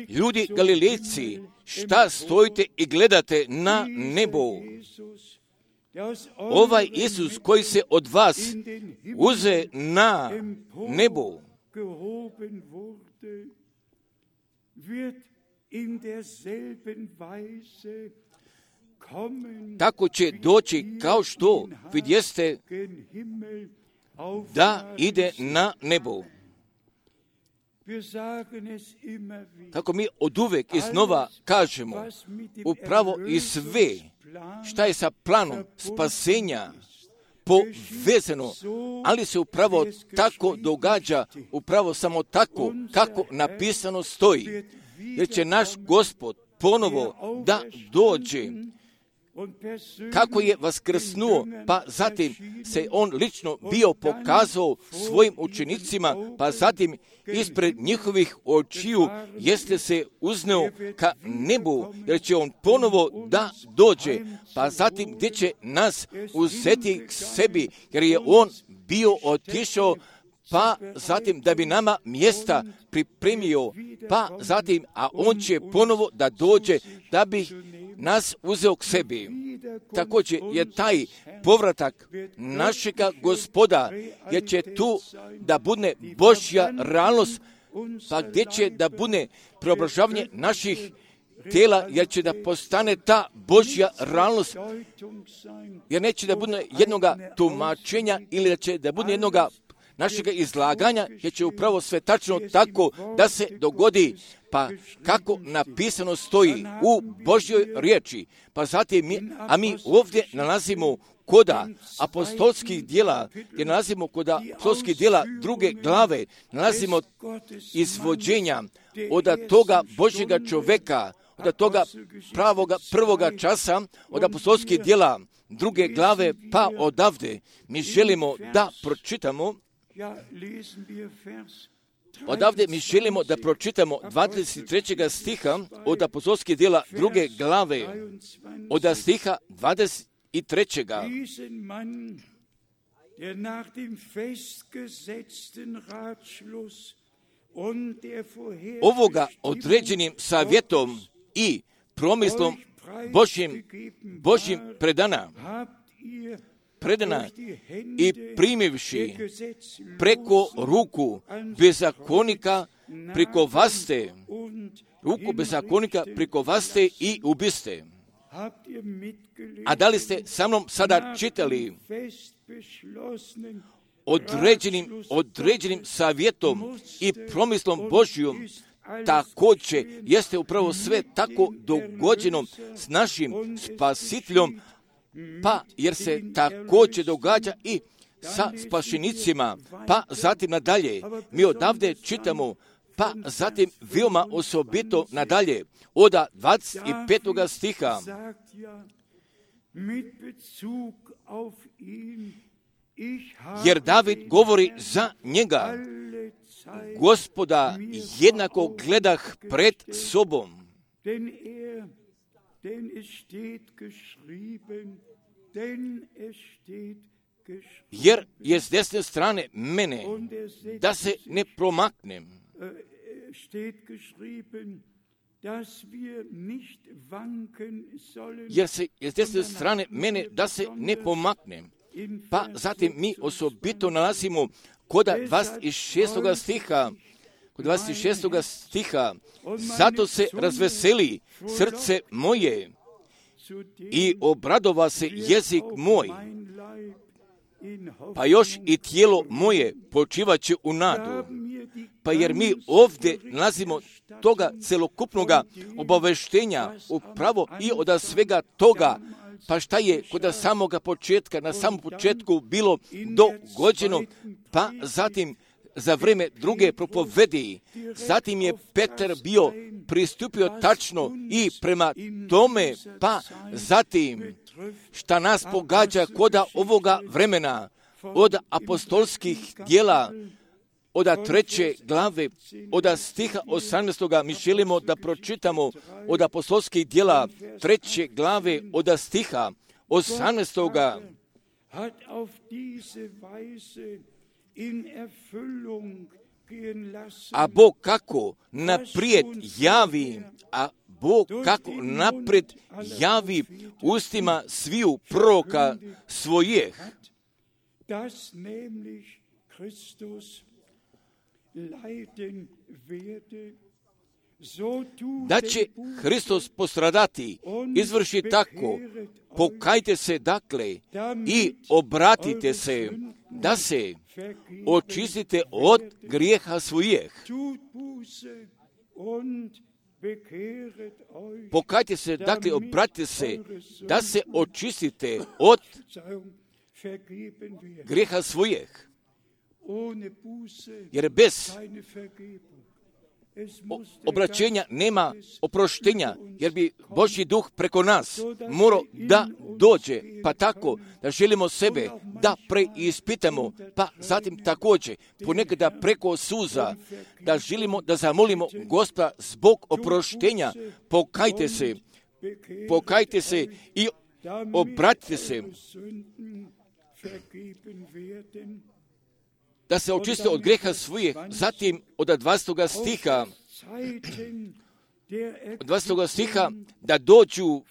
ljudi Galilejci, šta stojite i gledate na nebo? Ovaj Isus koji se od vas uze na nebo, tako će doći kao što vidjeste da ide na nebo. Kako mi oduvek iznova kažemo, upravo i sve šta je sa planom spasenja povezano, ali se upravo tako događa, upravo samo tako kako napisano stoji, jer će naš Gospod ponovo da dođe. Kako je vaskrsnuo, pa zatim se on lično bio pokazao svojim učenicima, pa zatim ispred njihovih očiju jeste se uzneo ka nebu, jer će on ponovo da dođe, pa zatim gdje će nas uzeti k sebi, jer je on bio otišao, pa zatim da bi nama mjesta pripremio, pa zatim, a on će ponovo da dođe da bi nas uzeo k sebi. Također je taj povratak našega Gospoda, jer će tu da bude Božja realnost, pa gdje će da bude preobražavanje naših tijela, jer će da postane ta Božja realnost, jer neće da bude jednoga tumačenja ili da će da bude jednoga našega izlaganja, jer će upravo sve tačno tako da se dogodi, pa kako napisano stoji u Božjoj riječi. Pa zatim mi, a mi ovdje nalazimo koda apostolskih djela, gdje nalazimo koda apostolskih djela druge glave, nalazimo izvođenja od toga Božjega čoveka, od toga pravoga prvoga časa, od apostolskih djela druge glave, pa odavde mi želimo da pročitamo. Odavde mi želimo da pročitamo dvadeset trećeg stiha od apostolskih djela druge glave, od stiha dvadeset trećeg. Ovoga određenim savjetom i promislom Božjim, Božjim predana, predana i primivši preko ruku bezakonika prikovaste, ruku bezakonika prikovaste i ubiste. A da li ste sa mnom sada čitali određenim, određenim savjetom i promislom Božjom, također jeste upravo sve tako dogođeno s našim spasiteljom, pa jer se također događa i sa spašenicima, pa zatim nadalje. Mi odavde čitamo, pa zatim veoma osobito nadalje, od dvadeset petog stiha. Jer David govori za njega: Gospoda jednako gledah pred sobom. Jer je s desne strane mene, da se ne promaknem. Jer se je s desne strane mene, da se ne pomaknem. Pa zatim mi osobito nalazimo kod dvadeset šestog stiha, kod dvadeset šestog stiha, zato se razveseli srce moje i obradova se jezik moj, pa još i tijelo moje počivaće u nadu. Pa jer mi ovdje nalazimo toga celokupnoga obaveštenja upravo i od svega toga, pa šta je kod samoga početka, na samom početku bilo dogođeno, pa zatim za vrijeme druge propovedi, zatim je Petar bio pristupio tačno i prema tome, pa zatim šta nas pogađa koda ovoga vremena, od apostolskih djela, od treće glave, od stiha osamnaestog. Mi želimo da pročitamo od apostolskih djela treće glave, od stiha osamnaestog. A Bog kako naprijed javi, a Bog kako naprijed javi ustima sviju proroka svojih, da će Hristos postradati, izvrši tako, pokajte se dakle i obratite se, da se očistite od grijeha svojih. Pokajte se, dakle, obratite se, da se očistite od grijeha svojih. Jer bez obraćenja nema oproštenja, jer bi Božji duh preko nas morao da dođe, pa tako da želimo sebe da preispitamo, pa zatim također ponekada preko suza da želimo da zamolimo Gospoda zbog oproštenja. Pokajte se, pokajte se i obratite se, da se očiste od greha svojih. Zatim od dvadesetog stiha, od dvadesetog stiha, da dođu,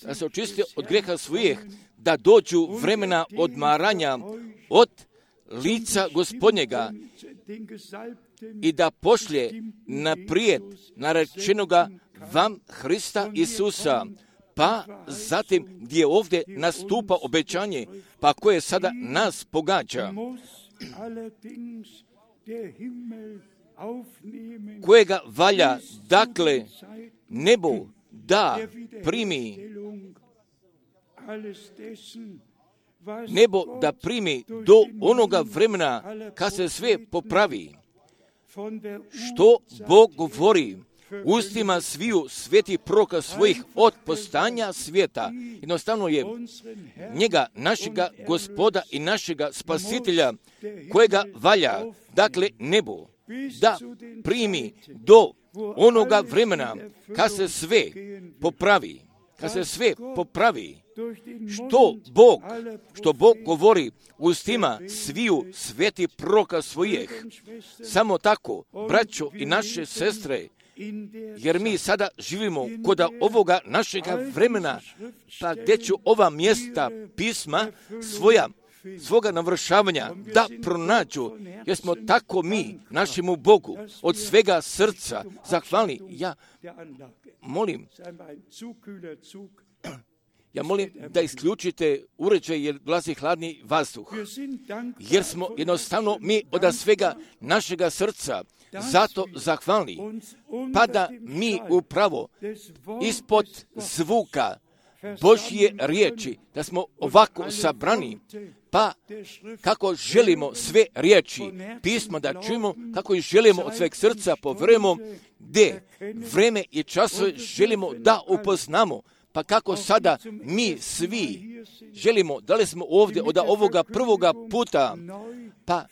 da se očiste od greha svojih, da dođu vremena odmaranja od lica Gospodnjega i da pošlje naprijed narečenoga vam Hrista Isusa. Pa zatim gdje ovdje nastupa obećanje, pa koje sada nas pogađa, kojega valja, dakle, nebo da primi, nebo da primi do onoga vremena kad se sve popravi. Što Bog govori ustima sviju svetih proroka svojih od postanja svijeta. Jednostavno je njega, našega Gospoda i našega Spasitelja, kojega valja, dakle, nebo da primi do onoga vremena kad se sve popravi, kad se sve popravi. Što Bog, što Bog govori ustima sviju svetih proroka svojih. Samo tako, braćo i naše sestre, jer mi sada živimo kod ovoga našega vremena, pa gdje ću ova mjesta pisma svoja, svoga navršavanja da pronađu, jer smo tako mi našemu Bogu od svega srca zahvalni. Ja molim, ja molim da isključite uređaj jer dolazi hladni vazduh, jer smo jednostavno mi od svega našega srca zato zahvalni, pa da mi upravo ispod zvuka Božje riječi, da smo ovako sabrani, pa kako želimo sve riječi pisma da čujemo, kako ih želimo od sveg srca povjerujemo, gdje vreme i časove želimo da upoznamo, pa kako sada mi svi želimo, da li smo ovdje od ovoga prvoga puta, pa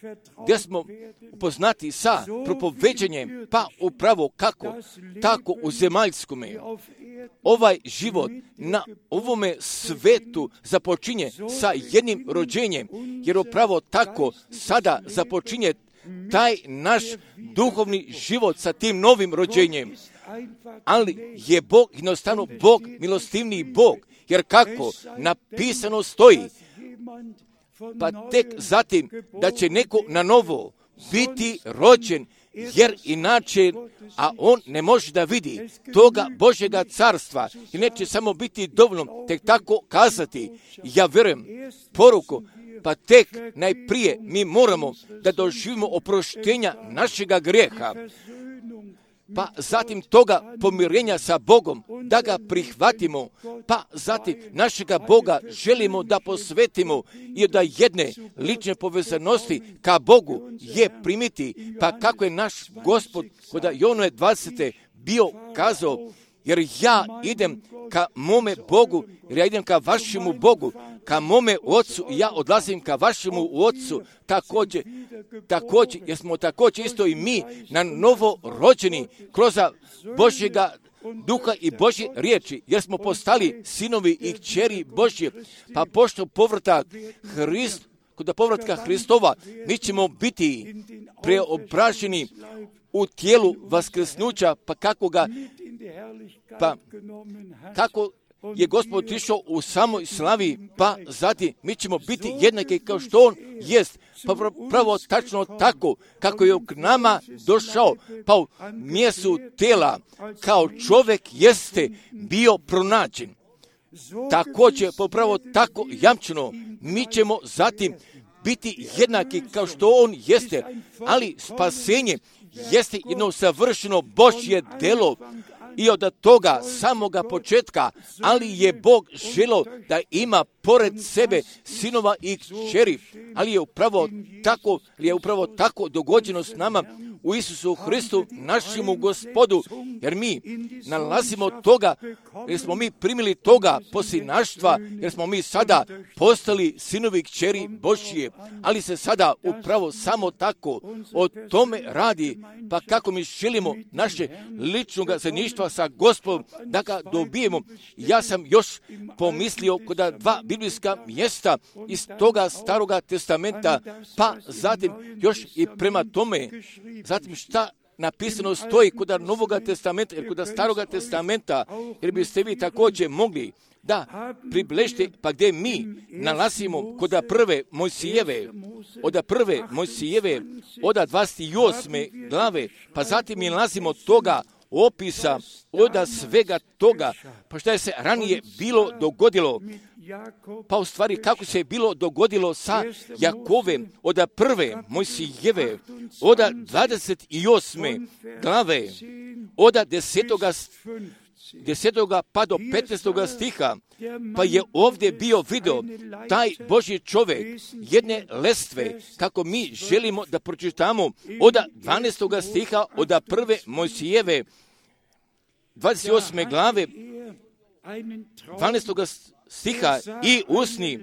gdje smo upoznati sa propoveđenjem, pa upravo kako, tako u zemaljskome. Ovaj život na ovome svetu započinje sa jednim rođenjem, jer upravo tako sada započinje taj naš duhovni život sa tim novim rođenjem. Ali je Bog jednostavno Bog, milostivni Bog, jer kako napisano stoji, pa tek zatim da će neko na novo biti rođen, jer inače, a on ne može da vidi toga Božjega carstva i neće samo biti dovoljno tek tako kazati, ja vjerujem poruku, pa tek najprije mi moramo da doživimo oproštenja našega grijeha, pa zatim toga pomirenja sa Bogom, da ga prihvatimo, pa zatim našega Boga želimo da posvetimo i da jedne lične povezanosti ka Bogu je primiti, pa kako je naš Gospod kod Jovane dvadesete bio kazao, jer ja idem ka mome Bogu, jer ja idem ka vašemu Bogu, ka mome Otcu i ja odlazim ka vašemu Otcu, također, također, jer smo također isto i mi na novo rođeni kroz Božjega duha i Božje riječi, jer smo postali sinovi i kćeri Božje, pa pošto povratak Hrist, kod povratka Hristova, mi ćemo biti preobraženi u tijelu vaskrsnuća, pa kako ga, pa kako je Gospod išao u samoj slavi, pa zatim mi ćemo biti jednaki kao što on jest, pa pravo tačno tako kako je k nama došao, pa u mjestu tela kao čovjek jeste bio pronađen. Također, popravo tako jamčeno, mi ćemo zatim biti jednaki kao što on jeste, ali spasenje jeste jedno savršeno Božje delo i od toga samoga početka, ali je Bog želio da ima pored sebe sinova i kćeri, ali je upravo tako, je upravo tako dogođeno s nama u Isusu Hristu, našemu Gospodu, jer mi nalazimo toga, jer smo mi primili toga posljednaštva, jer smo mi sada postali sinovi kćeri Božje, ali se sada upravo samo tako o tome radi, pa kako mi želimo naše ličnog zajedništva sa Gospodom da ga dobijemo. Ja sam još pomislio kod dva biblijska mjesta iz toga Staroga testamenta, pa zatim još i prema tome, zatim šta napisano stoji kod Novoga testamenta, jer kod Staroga testamenta, jer biste vi također mogli da približite, pa gdje mi nalazimo kod prve Mojsijeve, od prve Mojsijeve, od dvadeset osme glave, pa zatim mi nalazimo toga opisa od svega toga, pa šta je se ranije bilo dogodilo, pa u stvari kako se je bilo dogodilo sa Jakovem od prve Mojsijeve, od dvadeset osme glave, od desetoga desetoga pa do petnaestoga stiha, pa je ovdje bio video taj Božji čovjek jedne lestve, kako mi želimo da pročitamo od dvanaestoga stiha od prve Mojsijeve, dvadeset osme glave, dvanaestoga stiha i usni,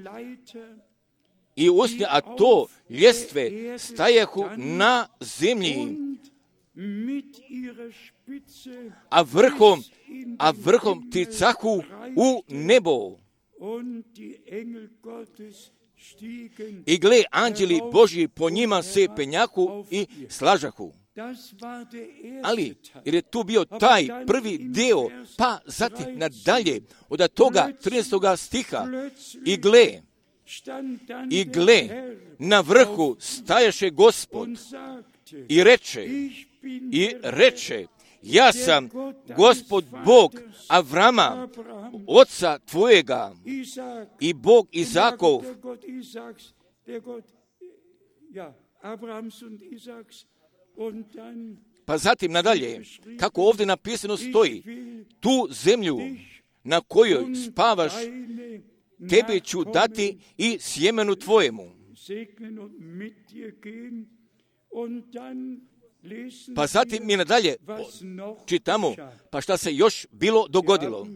i usni, a to ljestve stajahu na zemlji, a vrhom, a vrhom ticahu u nebo. I gle, anđeli Božji po njima se penjahu i slažahu. Ali, jer je tu bio taj prvi dio, pa zatim nadalje, od toga trinaestoga stiha, i gle, i gle, na vrhu stajaše Gospod i reče, i reče, ja sam Gospod Bog Avrama, oca tvojega, i Bog Izakov. Pa zatim nadalje, kako ovdje napisano stoji, tu zemlju na kojoj spavaš, tebe ću dati i sjemenu tvojemu. Pa zatim mi nadalje čitamo, pa šta se još bilo dogodilo.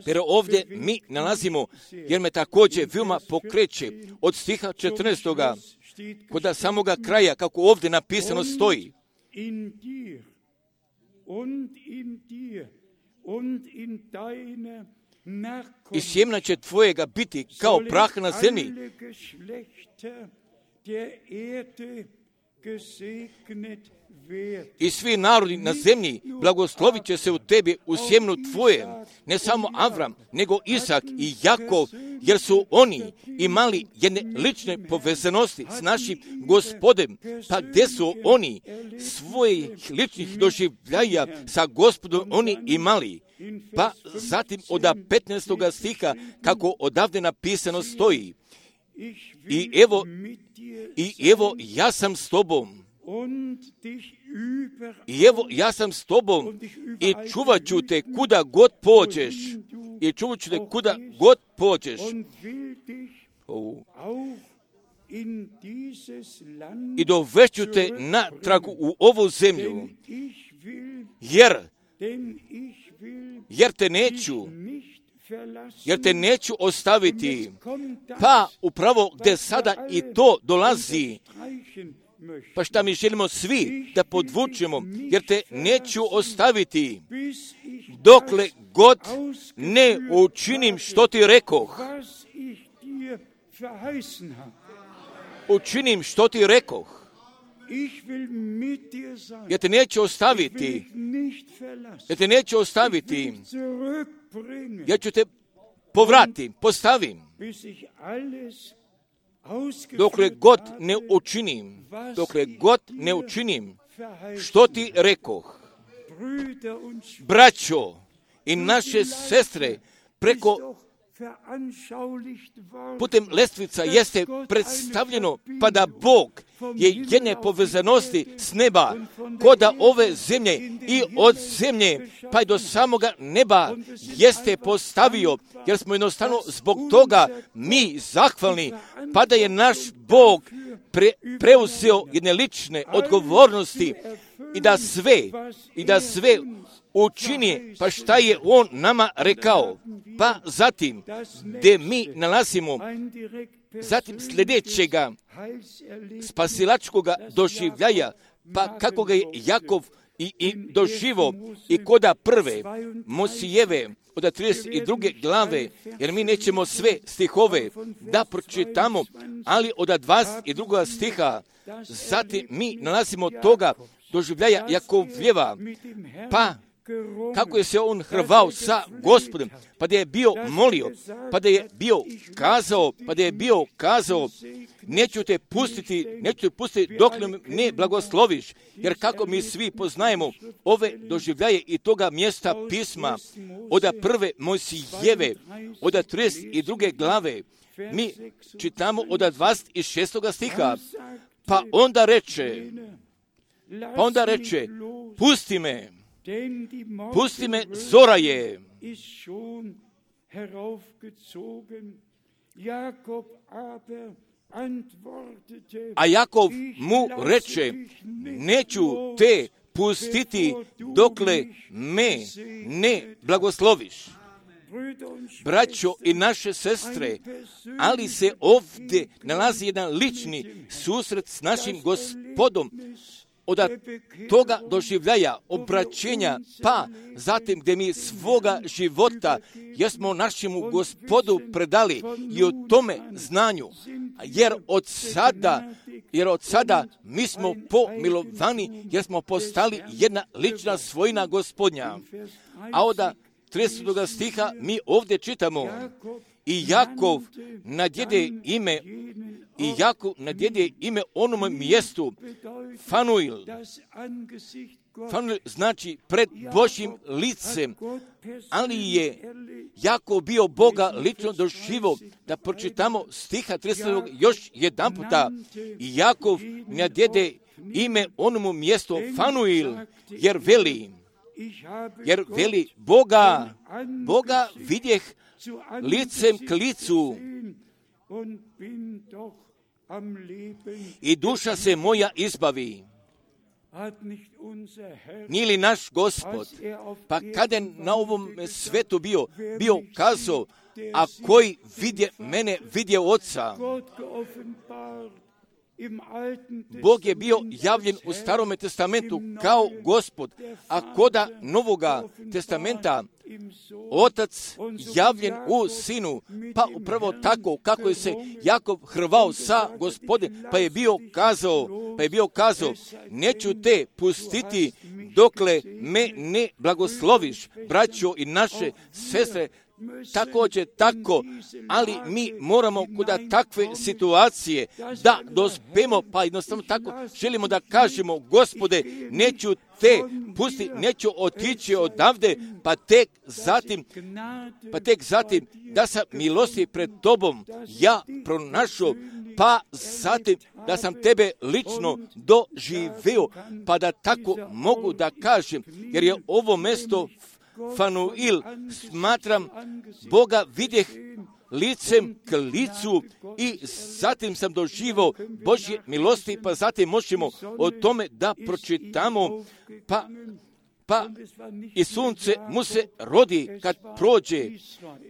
Jer ovdje mi nalazimo, jer me također veoma pokreće od stiha četrnaestoga kod samoga kraja, kako ovdje napisano stoji. I sjemena će tvojega biti kao prah na zemlji. I svi narodi na zemlji blagoslovit će se u tebi u sjemenu tvoje, ne samo Avram, nego Isak i Jakov, jer su oni imali jedne lične povezanosti s našim Gospodem, pa gdje su oni svojih ličnih doživljaja sa Gospodom oni imali. Pa zatim od petnaestoga stiha, kako odavde napisano stoji, i evo, i evo ja sam s tobom, i evo ja sam s tobom i čuvat ću te kuda god pođeš, i čuvat ću te kuda god pođeš. Oh. I dovešću te natrag u ovu zemlju, jer, jer te neću, jer te neću ostaviti. Pa upravo gdje sada i to dolazi, pa šta mi želimo svi da podvučemo, jer te neću ostaviti dokle god ne učinim što ti rekoh. Učinim što ti rekoh. Ja te neću ostaviti. Ja te neću ostaviti. Ja ću te povratim, postavim. Dokle god ne učinim, dokle god ne učinim što ti rekoh. Braćo i naše sestre, preko putem lestvica jeste predstavljeno, pa da Bog je jedne povezanosti s neba, koda ove zemlje i od zemlje, pa i do samoga neba jeste postavio, jer smo jednostavno zbog toga mi zahvalni, pa da je naš Bog pre, preuzeo jedne lične odgovornosti i da sve, i da sve učini, pa šta je on nama rekao. Pa zatim, gdje mi nalazimo zatim sljedećega spasilačkoga doživljaja, pa kako ga je Jakov i, i doživo i koda prve Mosijeve od trideset druge glave, jer mi nećemo sve stihove da pročitamo, ali od dvadeset drugog stiha, zatim mi nalazimo toga doživljaja Jakovljeva, pa kako je se on hrvao sa Gospodom, pa da je bio molio, pa da je bio kazao, pa da je bio kazao, neću te pustiti, neću te pustiti dok ne blagosloviš, jer kako mi svi poznajemo ove doživljaje i toga mjesta pisma, od prve Mojsijeve, od trideset druge glave, mi čitamo od dvadeset šestog stiha, pa onda reče, pa onda reče, pusti me, pusti me, zora je. A Jakov mu reče, neću te pustiti dokle me ne blagosloviš. Braćo i naše sestre, ali se ovdje nalazi jedan lični susret s našim Gospodom, od toga doživljaja, obraćenja, pa zatim gdje mi svoga života jesmo našemu Gospodu predali i o tome znanju, jer od sada, jer od sada mi smo pomilovani, jer smo postali jedna lična svojina Gospodnja. A od tridesetog stiha mi ovdje čitamo, i Jakov nadjede ime, i Jakov nadjede ime onom mjestu Fanuil. Fanuil znači pred Božjim licem, ali je Jakov bio Boga lično doživo. Da pročitamo stiha tridesetog još jedan puta. I Jakov nadjede ime onom mjestu Fanuil, jer veli, jer veli Boga, Boga vidjeh licem k licu i duša se moja izbavi. Nije li naš Gospod, pa kada je na ovom svetu bio, bio kazao, a koji vidje mene, vidje Oca. Bog je bio javljen u Starome testamentu kao Gospod, a koda Novoga testamenta Otac javljen u Sinu, pa upravo tako kako je se Jakov hrvao sa Gospodem, pa je bio kazao, pa je bio kazao, neću te pustiti dokle me ne blagosloviš, braćo i naše sestre. Također tako, ali mi moramo kuda takve situacije da dospemo, pa jednostavno tako želimo da kažemo, Gospode, neću te pusti, neću otići odavde, pa tek zatim, pa tek zatim da sam milosti pred tobom ja pronašao, pa zatim da sam tebe lično doživeo, pa da tako mogu da kažem, jer je ovo mjesto Fanuil, smatram, Boga vidjeh licem k licu i zatim sam doživao Božje milosti, pa zatim možemo o tome da pročitamo, pa pa i sunce mu se rodi kad prođe.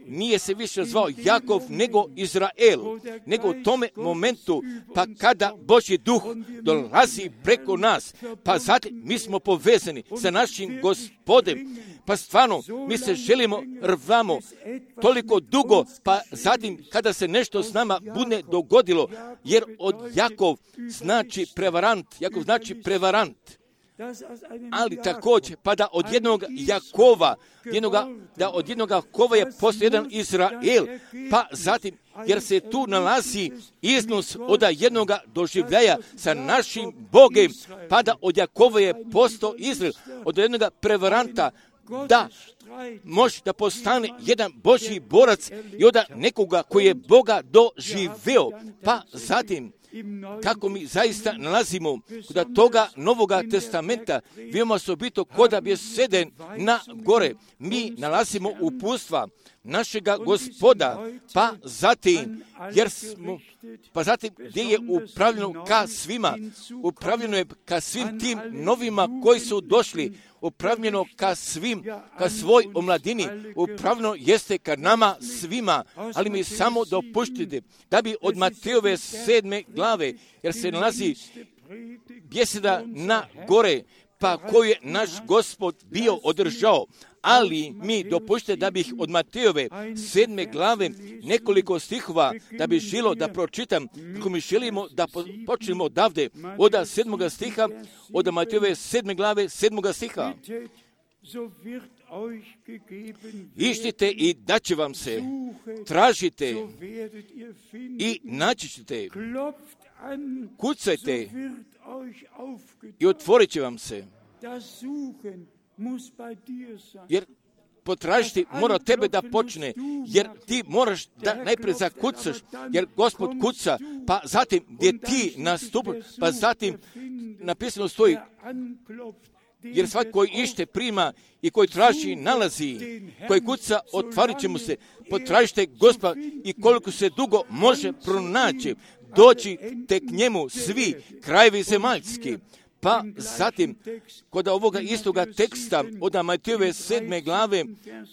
Nije se više zvao Jakov nego Izrael, nego u tome momentu, pa kada Božji duh dolazi preko nas, pa zatim mi smo povezani sa našim Gospodem, pa stvarno mi se želimo, rvamo toliko dugo, pa zatim kada se nešto s nama bude dogodilo, jer od Jakov znači prevarant, Jakov znači prevarant. Ali također, pa da od jednog Jakova, jednoga, da od jednog Jakova je postao jedan Izrael, pa zatim, jer se tu nalazi iznos od jednog doživljaja sa našim Bogem, pa da od Jakova je postao Izrael, od jednog prevaranta, da može da postane jedan Božji borac i od nekoga koji je Boga doživeo, pa zatim, kako mi zaista nalazimo kod toga Novoga testamenta, veoma osobito kod bjeseden na gore, mi nalazimo upustva našega Gospoda, pa zatim, jer smo, pa zatim gdje je upravljeno ka svima, upravljeno je ka svim tim novima koji su došli, upravljeno ka svim, ka svoj omladini, upravljeno jeste ka nama svima, ali mi samo dopuštite da bi od Matejove sedme glave, jer se nalazi bjeseda na gore, pa koju je naš Gospod bio održao, ali mi dopuštite da bih od Matejove sedme glave nekoliko stihova da bi želo da pročitam, kako mi želimo da počnemo odavde, od sedmoga stiha, od Matejove sedme glave sedmoga stiha. Ištite i daće vam se, tražite i naći ćete, kucajte i otvorit će vam se. Jer potražiti mora tebe da počne, jer ti moraš da najprije zakucaš, jer Gospod kuca, pa zatim gdje ti nastupaš, pa zatim napisano stoji, jer svaki koji ište prima i koji traži nalazi, koji kuca otvorit će mu se. Potražite Gospoda i koliko se dugo može pronaći, doći te k njemu svi krajevi zemaljski. Pa zatim, kod ovoga istoga teksta, od Matejove sedme glave,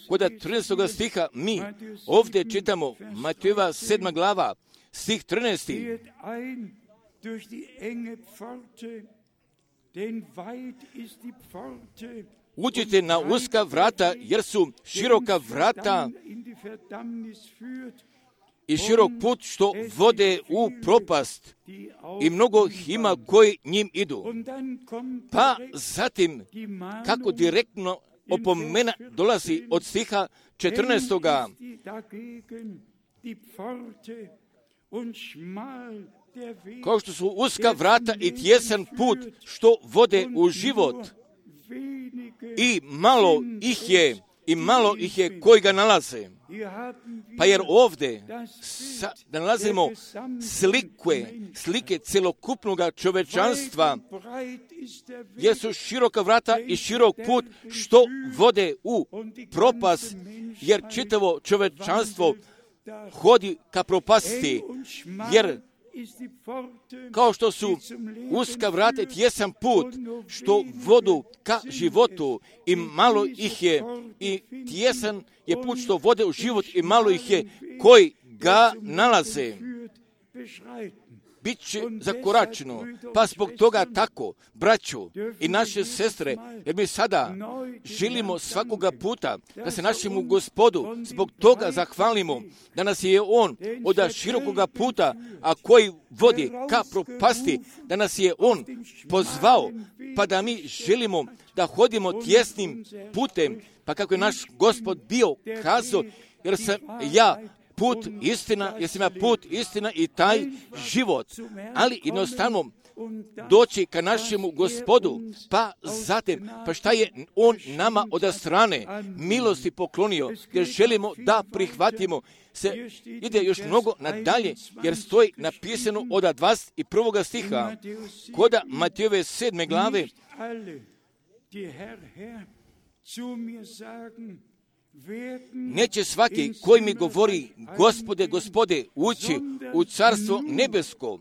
kod trinaestoga stiha, mi ovdje čitamo Matejova sedma glava, stih trinaesti. Uđite na uska vrata, jer su široka vrata i širok put što vode u propast i mnogo ima koji njim idu. Pa zatim, kako direktno opomena dolazi od stiha četrnaestoga. Kao što su uska vrata i tjesan put što vode u život i malo ih je, i malo ih je koji ga nalaze. Pa jer ovdje sa, da nalazimo slike, slike celokupnog čovečanstva, jer su široka vrata i širok put što vode u propast, jer čitavo čovečanstvo hodi ka propasti, jer kao što su uska vrata i tjesan put što vodu ka životu i malo ih je, i tjesan je put što vode u život i malo ih je koji ga nalaze. Biće zakoračeno, pa zbog toga tako, braćo i naše sestre, jer mi sada želimo svakoga puta da se našemu Gospodu zbog toga zahvalimo, da nas je On od širokoga puta, a koji vodi ka propasti, da nas je On pozvao, pa da mi želimo da hodimo tjesnim putem, pa kako je naš Gospod bio kazao, jer sam ja put istina, jer sam ja put istina i taj život, ali jednostavno doći ka našemu Gospodu, pa zatim, pa šta je On nama od strane milosti poklonio, jer želimo da prihvatimo, se ide još mnogo nadalje, jer stoji napisano od dvadeset prvog stiha, kod Matejove sedme glave, neće svaki koji mi govori Gospode, Gospode, ući u carstvo nebesko,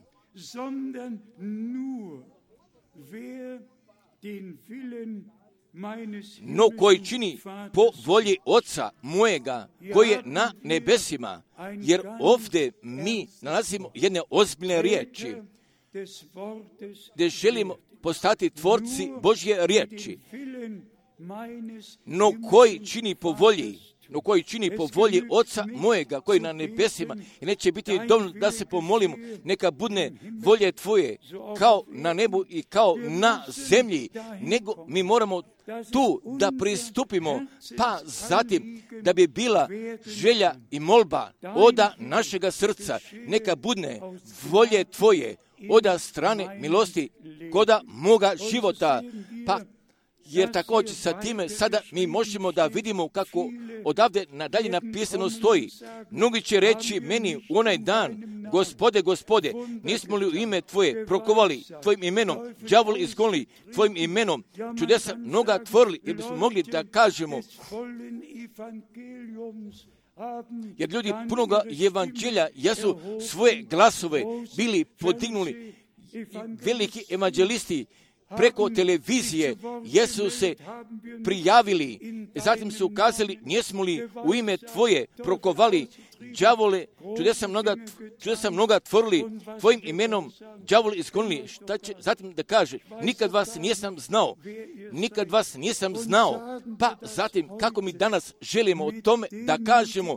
no koji čini po volji Oca mojega koji je na nebesima, jer ovdje mi nalazimo jedne ozbiljne riječi, gdje želimo postati tvorci Božje riječi, no koji čini po volji, no koji čini po volji Oca mojega koji je na nebesima, i neće biti dovoljno da se pomolimo, neka bude volje Tvoje kao na nebu i kao na zemlji, nego mi moramo tu da pristupimo, pa zatim da bi bila želja i molba oda našega srca, neka bude volje Tvoje oda strane milosti koda moga života, pa jer također sa time sada mi možemo da vidimo kako odavde nadalje napisano stoji. Mnogi će reći meni u onaj dan, Gospode, Gospode, nismo li u ime Tvoje prokovali, Tvojim imenom đavol izgonili, Tvojim imenom čudesa mnoga tvorili, jer bismo mogli da kažemo, jer ljudi punoga evanđelja jesu svoje glasove bili podignuli, veliki evanđelisti preko televizije jesu se prijavili, zatim su ukazali, nismo li u ime Tvoje prokovali đavole, čudesa mnoga, čudesa mnoga tvorili, Tvojim imenom đavole izgonili. Šta će zatim da kaže? Nikad vas nisam znao, nikad vas nisam znao. Pa zatim, kako mi danas želimo o tome da kažemo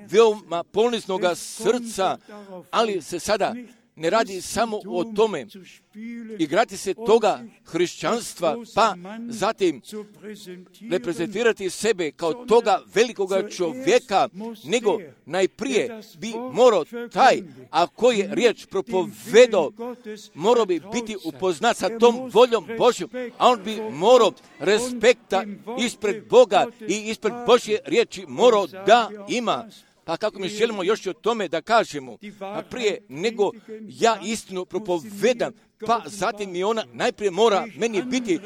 veoma poniznoga srca, ali se sada ne radi samo o tome igrati se toga hrišćanstva, pa zatim reprezentirati sebe kao toga velikoga čovjeka, nego najprije bi morao taj, a koji je riječ propovedao, morao bi biti upoznat sa tom voljom Božjom, a on bi morao respekta ispred Boga i ispred Božje riječi morao da ima. Pa kako mi želimo još o tome da kažemo, pa prije nego ja istinu propovedam, pa zatim mi ona najprije mora meni biti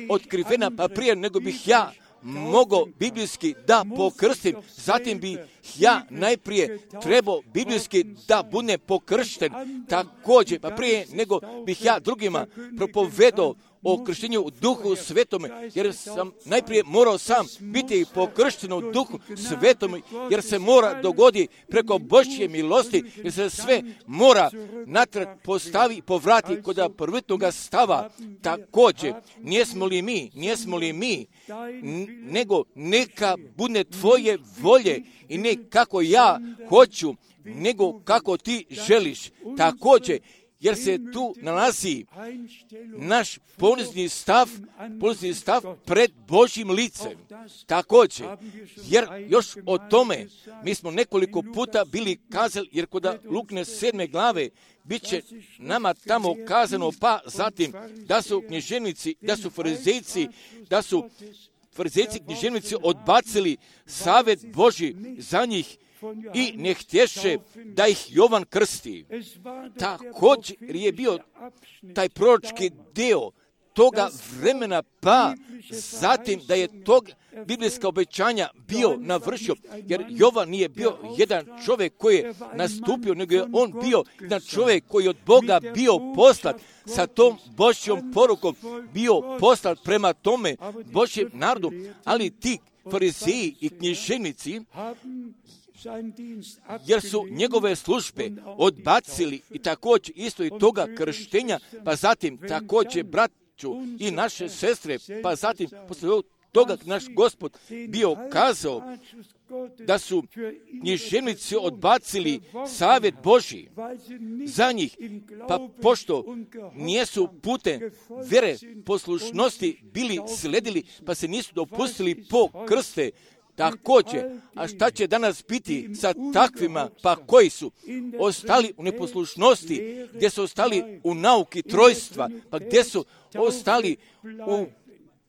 otkrivena, pa prije nego bih ja mogao biblijski da pokrstim, zatim bi ja najprije trebao biblijski da budem pokršten, također, pa prije nego bih ja drugima propovedao o krštenju u Duhu Svetome, jer sam najprije morao sam biti pokršten u Duhu Svetome, jer se mora dogodi preko Božje milosti, jer se sve mora natrag postavi i povrati kod prvotnoga stava. Također, nijesmo li mi, nijesmo li mi, nego neka bude Tvoje volje i ne kako ja hoću, nego kako Ti želiš. Također, jer se tu nalazi naš ponizni stav, ponizni stav pred Božjim licem. Također, jer još o tome mi smo nekoliko puta bili kazali, jer kod Lukine sedme glave bit će nama tamo kazano, pa zatim da su književnici, da su farizejci, da su farizejci književnici odbacili savjet Božji za njih i ne htješe da ih Jovan krsti. Također je bio taj proročki dio toga vremena, pa zatim da je tog biblijska obećanja bio navršio, jer Jovan nije bio jedan čovjek koji je nastupio, nego je on bio jedan čovjek koji je od Boga bio poslat sa tom Božjom porukom, bio poslat prema tome Božjem narodu, ali ti farizeji i književnici, jer su njegove službe odbacili i također isto i toga krštenja, pa zatim također braću i naše sestre, pa zatim poslije toga naš Gospod bio kazao da su književnici odbacili savjet Božji za njih, pa pošto nijesu putem vjere poslušnosti bili sledili, pa se nisu dopustili po krste. Također, a šta će danas biti sa takvima, pa koji su ostali u neposlušnosti, gdje su ostali u nauki trojstva, pa gdje su ostali u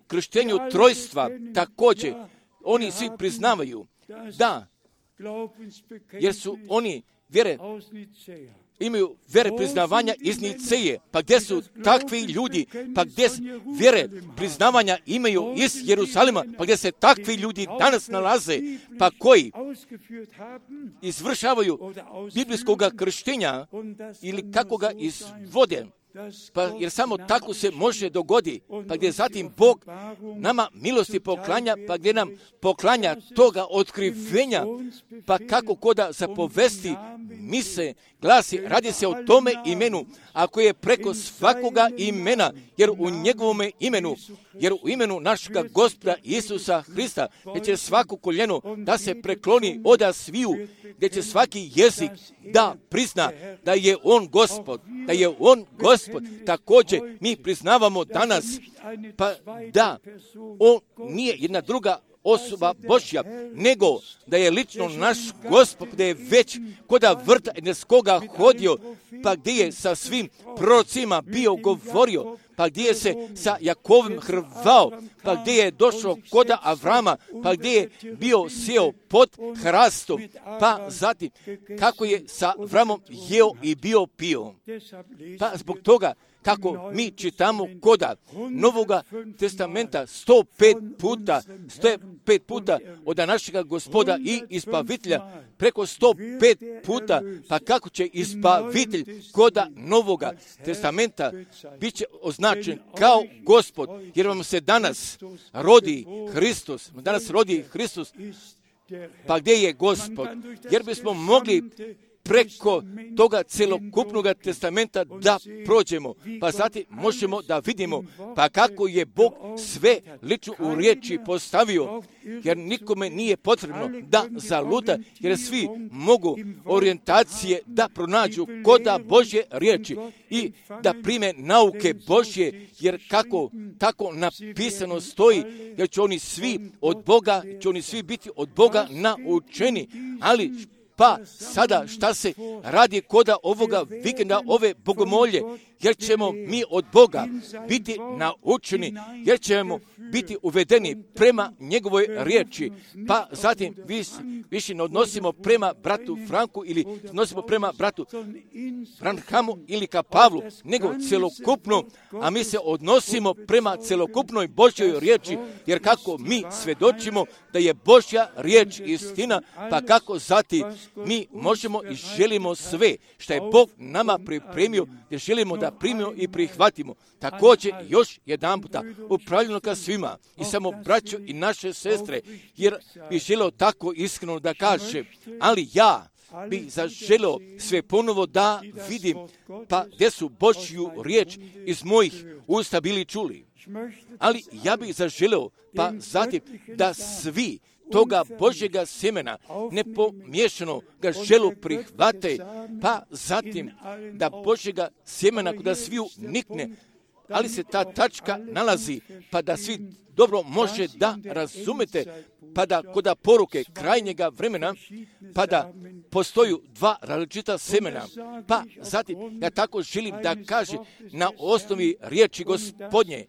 krštenju trojstva, također, oni svi priznavaju da, jer su oni vjere, imaju vjere priznavanja iz Niceje, pa gdje su takvi ljudi, pa gdje vjere priznavanja imaju iz Jerusalima, pa gdje se takvi ljudi danas nalaze, pa koji izvršavaju biblijskog krštenja ili kako ga izvode, Pa jer samo tako se može dogodi, pa gdje zatim Bog nama milosti poklanja, pa gdje nam poklanja toga otkrivenja, pa kako koda zapovesti mi se glasi, radi se o tome imenu, ako je preko svakoga imena, jer u njegovome imenu, jer u imenu našega Gospoda Isusa Hrista, gdje će svako koljeno da se prekloni oda sviju, gdje će svaki jezik da prizna da je on Gospod, da je on Gospod. Također mi priznavamo danas, pa da on nije jedna druga osoba Božja, nego da je lično naš Gospod, da je već koda vrta Edenskoga hodio, pa gdje je sa svim prorocima bio govorio, pa gdje je se sa Jakovim hrvao, pa gdje je došao koda Avrama, pa gdje je bio sjeo pod hrastom, pa zatim kako je sa Avramom jeo i bio pio. Pa zbog toga kako mi čitamo koda Novoga testamenta sto pet puta, sto pet puta od našega Gospoda i Ispavitelja, preko sto pet puta, pa kako će Ispavitelj koda Novoga testamenta bit će označen kao Gospod, jer vam se danas rodi Hristos, danas rodi Hristos, pa gdje je Gospod? Jer bismo mogli preko toga celokupnog testamenta da prođemo, pa zatim možemo da vidimo pa kako je Bog sve lično u riječi postavio, jer nikome nije potrebno da zaluta, jer svi mogu orijentacije da pronađu koda Božje riječi i da prime nauke Božje, jer kako tako napisano stoji, jer će oni svi od Boga, će oni svi biti od Boga naučeni, ali pa sada šta se radi koda ovoga vikenda, ove bogomolje, jer ćemo mi od Boga biti naučeni, jer ćemo biti uvedeni prema njegovoj riječi, pa zatim više ne odnosimo prema bratu Franku ili odnosimo prema bratu Branhamu ili ka Pavlu, nego celokupno, a mi se odnosimo prema celokupnoj Božjoj riječi, jer kako mi svedočimo da je Božja riječ istina, pa kako zatim mi možemo i želimo sve što je Bog nama pripremio, jer želimo da primimo i prihvatimo. Također još jedan puta upravljeno ka svima i samo braćo i naše sestre, jer bi želio tako iskreno da kaže, ali ja bi zaželio sve ponovo da vidim, pa gdje su Božju riječ iz mojih usta bili čuli. Ali ja bih zaželio, pa zatim da svi toga Božjega semena nepomiješano ga želu prihvate, pa zatim da Božjega semena kuda sviju nikne, ali se ta tačka nalazi, pa da svi dobro može da razumete, pa da koda poruke krajnjega vremena, pa da postoju dva različita semena, pa zatim ja tako želim da kaže na osnovi riječi Gospodnje,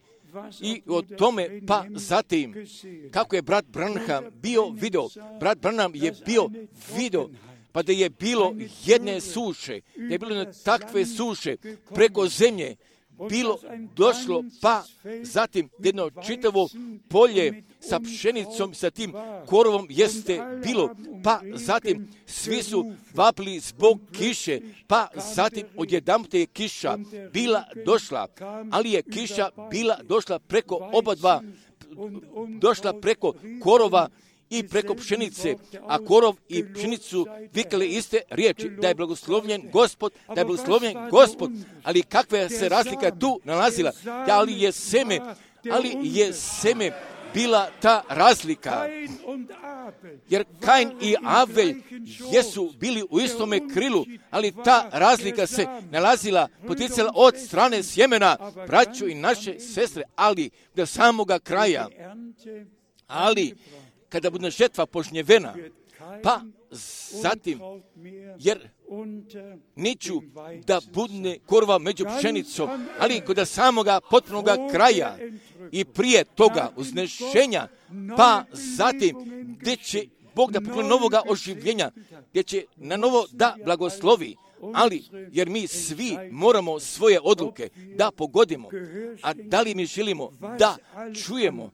i o tome, pa zatim, kako je brat Branham bio video, brat Branham je bio video, pa da je bilo jedne suše, da je bilo jedne takve suše preko zemlje, bilo došlo, pa zatim jedno čitavo polje sa pšenicom, sa tim korovom jeste bilo, pa zatim svi su vapili zbog kiše, pa zatim odjedanput je kiša bila došla, ali je kiša bila došla preko oba dva, došla preko korova i preko pšenice, a korov i pšenicu vikali iste riječi, da je blagoslovljen Gospod, da je blagoslovljen Gospod, ali kakva se razlika tu nalazila, ali je seme, ali je seme bila ta razlika, jer Kain i Avel jesu bili u istome krilu, ali ta razlika se nalazila, poticala od strane sjemena, braćo i naše sestre, ali do samoga kraja, ali kada bude žetva požnjevena, pa zatim, jer neću da budne korova među pšenicom, ali kod samoga potpunoga kraja i prije toga uznešenja, pa zatim gdje će Bog da pokloni novoga oživljenja, gdje će na novo da blagoslovi, ali jer mi svi moramo svoje odluke da pogodimo, a da li mi želimo da čujemo,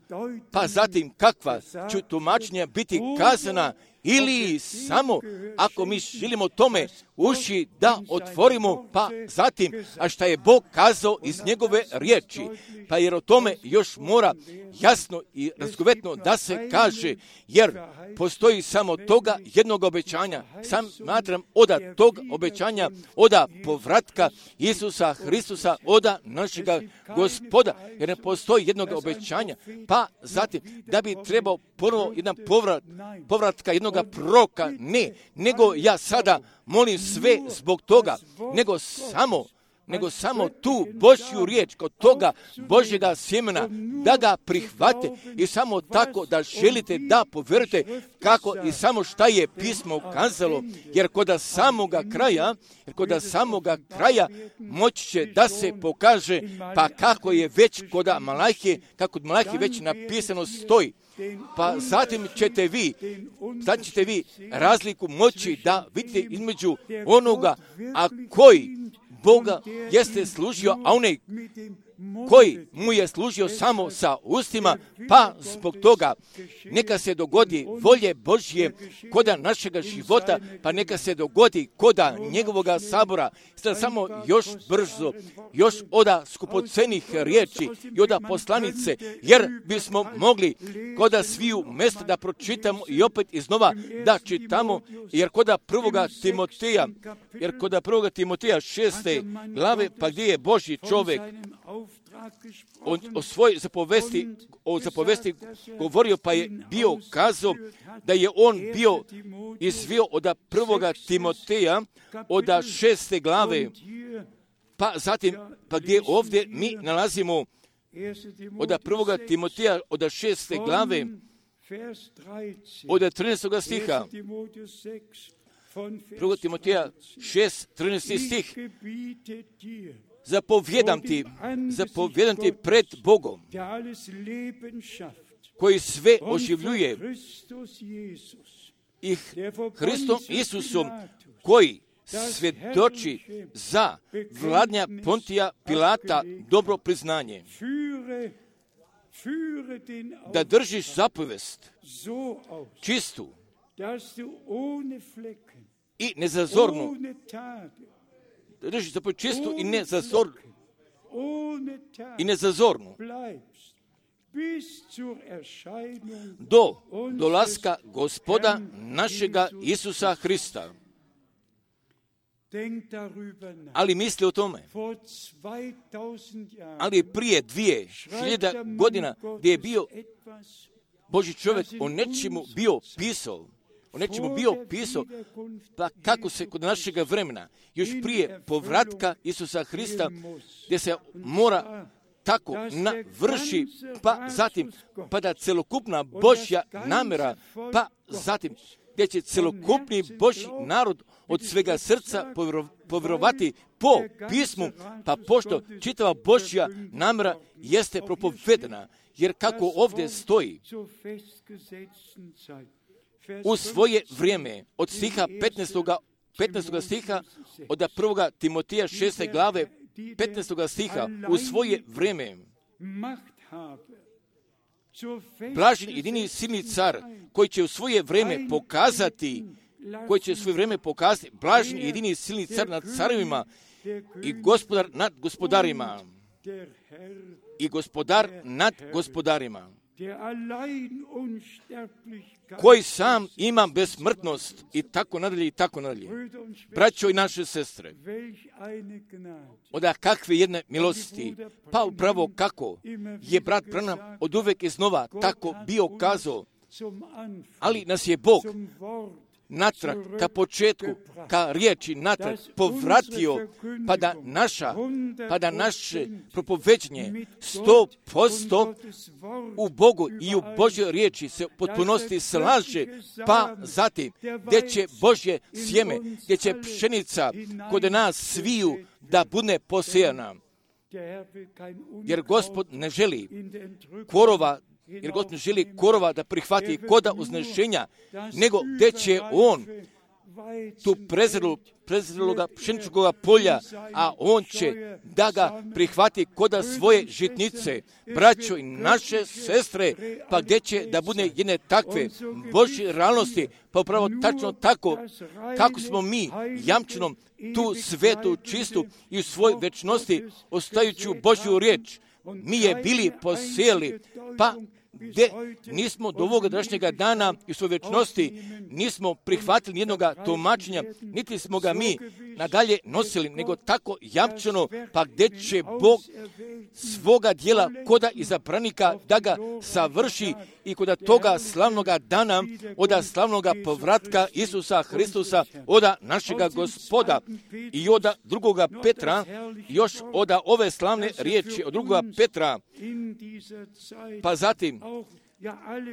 pa zatim kakva će tumačenja biti kazana ili samo ako mi želimo tome uši da otvorimo, pa zatim, a šta je Bog kazao iz njegove riječi, pa jer o tome još mora jasno i razgovetno da se kaže, jer postoji samo toga jednog obećanja. Sam smatram oda tog obećanja, oda povratka Isusa Hristusa, oda našega Gospoda, jer ne postoji jednog obećanja, pa zatim da bi trebao ponovo jedan povrat, povratka jednog proroka, ne, nego ja sada molim sve zbog toga, nego samo, nego samo tu Božju riječ kod toga Božjega sjemena da ga prihvate i samo tako da želite da povjerujete kako i samo šta je pismo kazalo, jer kod samoga kraja, jer kod samoga kraja moći će da se pokaže, pa kako je već kod Malahije, kako kod Malahije već napisano stoji. Pa zatim ćete vi, zatim ćete vi razliku moći da vidite između onoga, a koji Boga jeste služio, a onaj koji mu je služio samo sa ustima, pa zbog toga neka se dogodi volje Božje koda našega života, pa neka se dogodi koda njegovoga sabora. Sada samo još brzo, još oda skupocenih riječi i oda poslanice, jer bismo mogli koda sviju mjesta da pročitamo i opet iznova da čitamo, jer koda prvoga Timoteja, jer koda prvoga Timoteja šeste glave, pa gdje je Božji čovjek O, o svoj zapovesti, o zapovesti govorio, pa je bio kazao da je on bio izvio od prvoga Timoteja, od šeste glave, pa zatim, pa gdje ovdje mi nalazimo od prvoga Timoteja, od šeste glave, od trinaestog stiha, prvoga Timoteja šest, trinaesti stih, zapovjedam ti, zapovjedam ti pred Bogom, koji sve oživljuje, i Hristom Isusom, koji svjedoči za vladnja Pontija Pilata dobro priznanje, da držiš zapovest čistu i nezazornu, drži zapoved čistu i nezazornu, i nezazornu do dolaska Gospoda našega Isusa Hrista. Ali misli o tome. Ali prije dvije hiljada godina gdje je bio Božji čovjek o nečemu bio pisao, o nečemu bio pisao, pa kako se kod našega vremena, još prije povratka Isusa Hrista, gdje se mora tako navrši, pa zatim, pa da celokupna Božja namjera, pa zatim, gdje će celokupni Božji narod od svega srca povjerovati po pismu, pa pošto čitava Božja namjera jeste propovedena, jer kako ovdje stoji, u svoje vrijeme, od stiha petnaestog petnaestog stiha, od prvoga Timoteja šeste glave, petnaestog stiha, u svoje vrijeme, blažen jedini silni car, koji će u svoje vrijeme pokazati, koji će u svoje vrijeme pokazati, blažen jedini silni car nad carevima i gospodar nad gospodarima, i gospodar nad gospodarima, koji sam ima besmrtnost, i tako nadalje, i tako nadalje. Braćo i naše sestre, oda kakve jedne milosti, pa upravo kako je brat Branham od uvek iznova tako bio kazao, ali nas je Bog natrag, ka početku, ka riječi natrag povratio, pa da naša, pa da naše propoveđenje sto posto u Bogu i u Božjoj riječi se potpunosti slaže, pa zatim gdje će Božje sjeme, gdje će pšenica kod nas sviju da bude posijana. Jer Gospod ne želi korova, jer Gospod ne želi korova da prihvati koda uznešenja, nego gdje će On tu prezrelu, prezreloga pšeničkoga polja, a on će da ga prihvati koda svoje žitnice. Braćo i naše sestre, pa gdje će da bude jedne takve Božje realnosti, pa upravo tačno tako, kako smo mi jamčenom tu svetu, čistu i u svoj večnosti, ostajući Božju riječ, mi je bili posijeli, pa gdje nismo do ovoga današnjega dana i u svoj večnosti nismo prihvatili jednoga tumačenja, niti smo ga mi nadalje nosili, nego tako jamčeno, pa gdje će Bog svoga dijela koda izabranika da ga savrši i koda toga slavnoga dana, oda slavnoga povratka Isusa Hristusa, oda našega Gospoda i oda drugoga Petra, još oda ove slavne riječi od drugoga Petra, pa zatim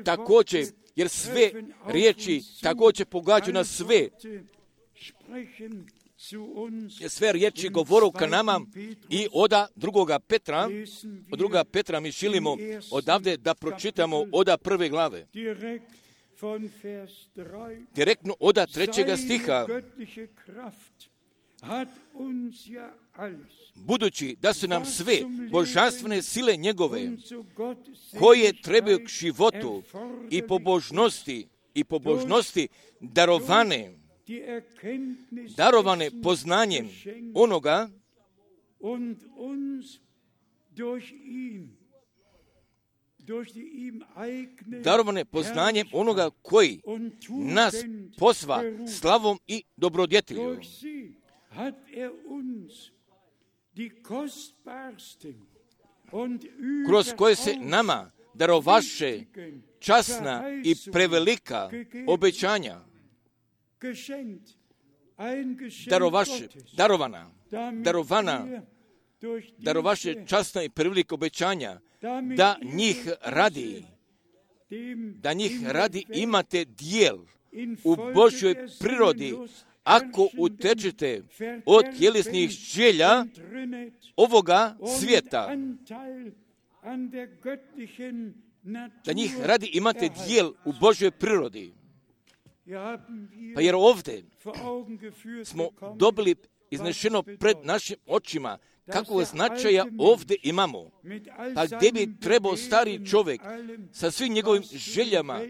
također, jer sve riječi također pogađaju na sve, sve riječi govoru ka nama i oda drugoga Petra, od drugoga Petra mi želimo odavde da pročitamo oda prve glave. Direktno oda trećega stiha. Budući da su nam sve božanstvene sile njegove, koje trebaju k životu i pobožnosti, i pobožnosti darovane, darovane poznanjem onoga darovane poznanjem onoga koji nas posva slavom i dobrodjetilju. Kroz koje se nama darovaše časna i prevelika obećanja, darovaše, darovana, darovana, darovaše časna i prevelika obećanja, da njih radi, da njih radi imate dijel u Božjoj prirodi, ako utečete od tjelesnih želja ovoga svijeta, da njih radi imate dijel u Božjoj prirodi. Pa jer ovdje smo dobili iznešeno pred našim očima kakvog značaja ovdje imamo. Pa gdje bi trebao stari čovjek sa svim njegovim željama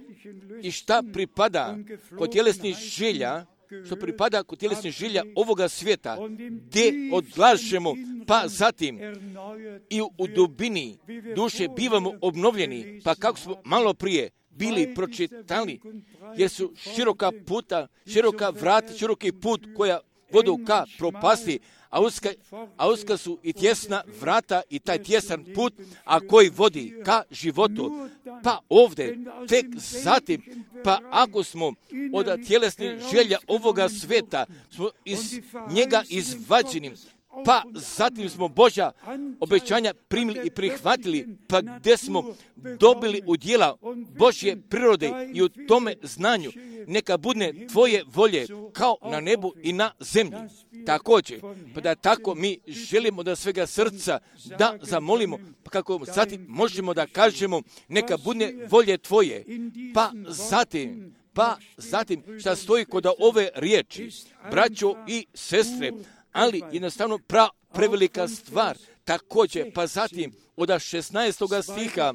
i šta pripada kod tjelesnih želja, što pripada kod tjelesnih želja ovoga svijeta, gdje odlažemo, pa zatim i u, u dubini duše bivamo obnovljeni, pa kako smo malo prije bili pročitali, jer su široka puta, široka vrata, široki put koja vodu ka propasti, a uska, a uska su i tjesna vrata i taj tjesan put, a koji vodi ka životu. Pa ovdje, tek zatim, pa ako smo od tjelesnih želja ovoga sveta, smo iz njega izvađeni, pa zatim smo Božja obećanja primili i prihvatili, pa gdje smo dobili udjela Božje prirode i u tome znanju, neka bude tvoje volje kao na nebu i na zemlji. Također, pa da tako mi želimo da svega srca da zamolimo, pa kako zatim možemo da kažemo neka bude volje tvoje, pa zatim, pa zatim šta stoji kod ove riječi, braćo i sestre, ali jednostavno pra, prevelika stvar. Također, pa zatim od šesnaestoga stiha,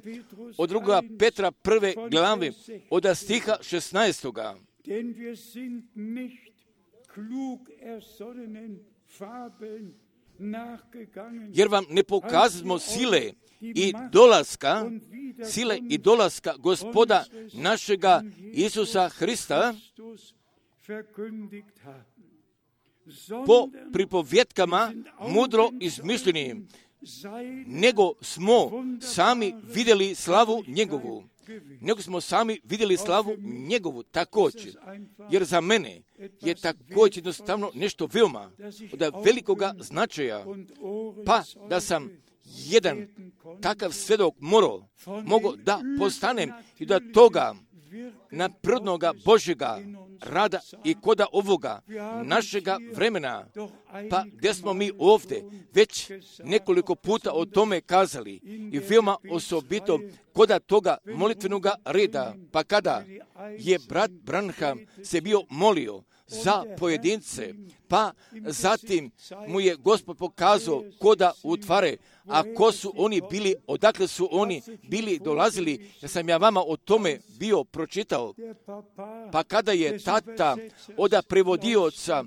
od drugoga Petra prve glave, od stiha šesnaestoga. Jer vam ne pokazamo sile i dolaska, sile i dolaska Gospoda našega Isusa Hrista po pripovjetkama mudro izmišljenim, nego smo sami vidjeli slavu njegovu. Nego smo sami vidjeli slavu njegovu također. Jer za mene je također jednostavno nešto veoma od velikoga značaja. Pa da sam jedan takav svjedok morao, mogo da postanem i da toga naprednoga Božjega rada i koda ovoga našega vremena, pa gdje smo mi ovdje već nekoliko puta o tome kazali i veoma osobito koda toga molitvenoga reda, pa kada je brat Branham se bio molio za pojedince, pa zatim mu je Gospod pokazao koda utvare, a ko su oni bili, odakle su oni bili dolazili, ja sam ja vama o tome bio pročitao. Pa kada je tata oda prevodioca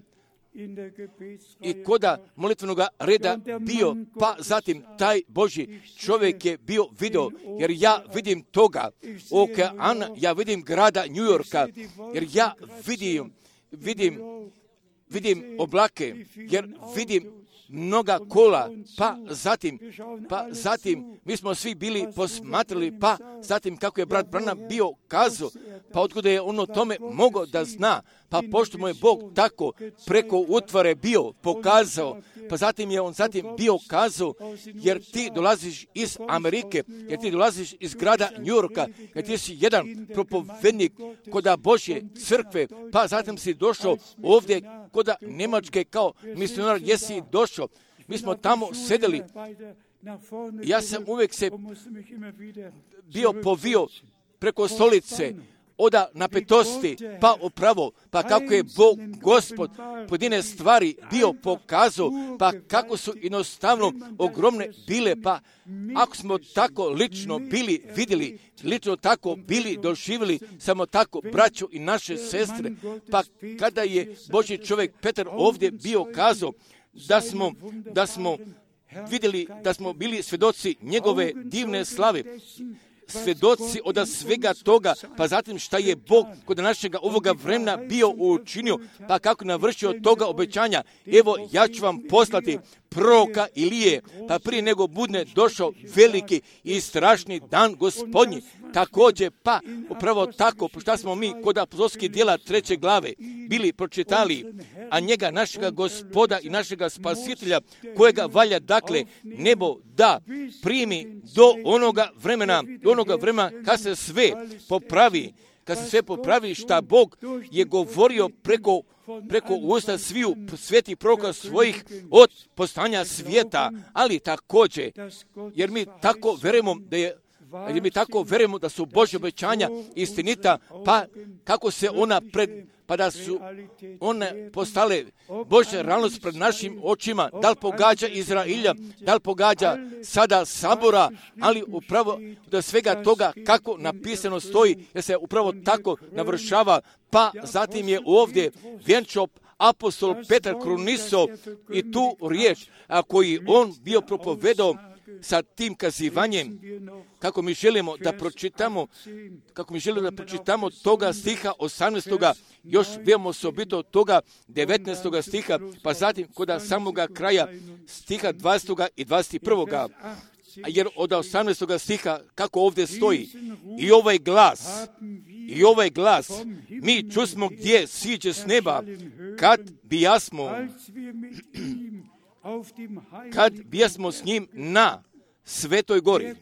i koda molitvenog reda bio, pa zatim taj Božji čovjek je bio video, jer ja vidim toga okeana, ja vidim grada New Yorka, jer ja vidim, vidim, vidim oblake, jer vidim mnoga kola, pa zatim, pa zatim mi smo svi bili posmatrali, pa zatim kako je brat Branham bio kazao, pa otkuda je ono tome mogao da zna, pa pošto mu je Bog tako preko utvare bio pokazao, pa zatim je on zatim bio kazao, jer ti dolaziš iz Amerike, jer ti dolaziš iz grada New Yorka, jer ti si jedan propovednik koda Božje crkve, pa zatim si došao ovdje koda Njemačke kao misionar, jesi došao. Mi smo tamo sedeli. Ja sam uvijek se bio povio preko stolice, oda napetosti, pa upravo, pa kako je Bog, Gospod, pojedine stvari bio pokazao, pa kako su jednostavno ogromne bile, pa ako smo tako lično bili vidjeli, lično tako bili doživjeli, samo tako braćo i naše sestre, pa kada je Božji čovjek Petar ovdje bio kazao, da smo, da smo vidjeli, da smo bili svjedoci njegove divne slave, svjedoci od svega toga, pa zatim šta je Bog kod našega ovoga vremena bio učinio, pa kako navršio toga obećanja. Evo, ja ću vam poslati proroka Ilije, pa prije nego bude došao veliki i strašni dan Gospodnji. Također, pa upravo tako, šta smo mi kod apostolskih djela treće glave bili pročitali, a njega, našega Gospoda i našega Spasitelja, kojega valja, dakle, nebo da primi do onoga vremena, do onoga vremena kad se sve popravi, kad se sve popravi šta Bog je govorio preko preko usta sviju svetih proroka svojih od postanja svijeta, ali također, jer mi tako verujemo da je jer mi tako verujemo da su Božja obećanja istinita, pa kako se ona pred, pa da su one postale Božja realnost pred našim očima, da li pogađa Izrailja, da li pogađa sada Sabora, ali upravo do svega toga kako napisano stoji, jer se upravo tako navršava, pa zatim je ovdje vjenčao apostol Petar kruniso i tu riječ, a koji on bio propovedao sa tim kazivanjem, kako mi želimo da pročitamo, kako mi želimo da pročitamo toga stiha osamnaestoga, još vidimo osobito toga devetnaestoga stiha, pa zatim kod samoga kraja stiha dvadesetoga i dvadeset prvoga. Jer od osamnaestoga stiha, kako ovdje stoji, i ovaj glas, i ovaj glas, mi čusmo gdje siđe s neba, kad bijasmo, kad bijasmo s njim na Svetoj gori.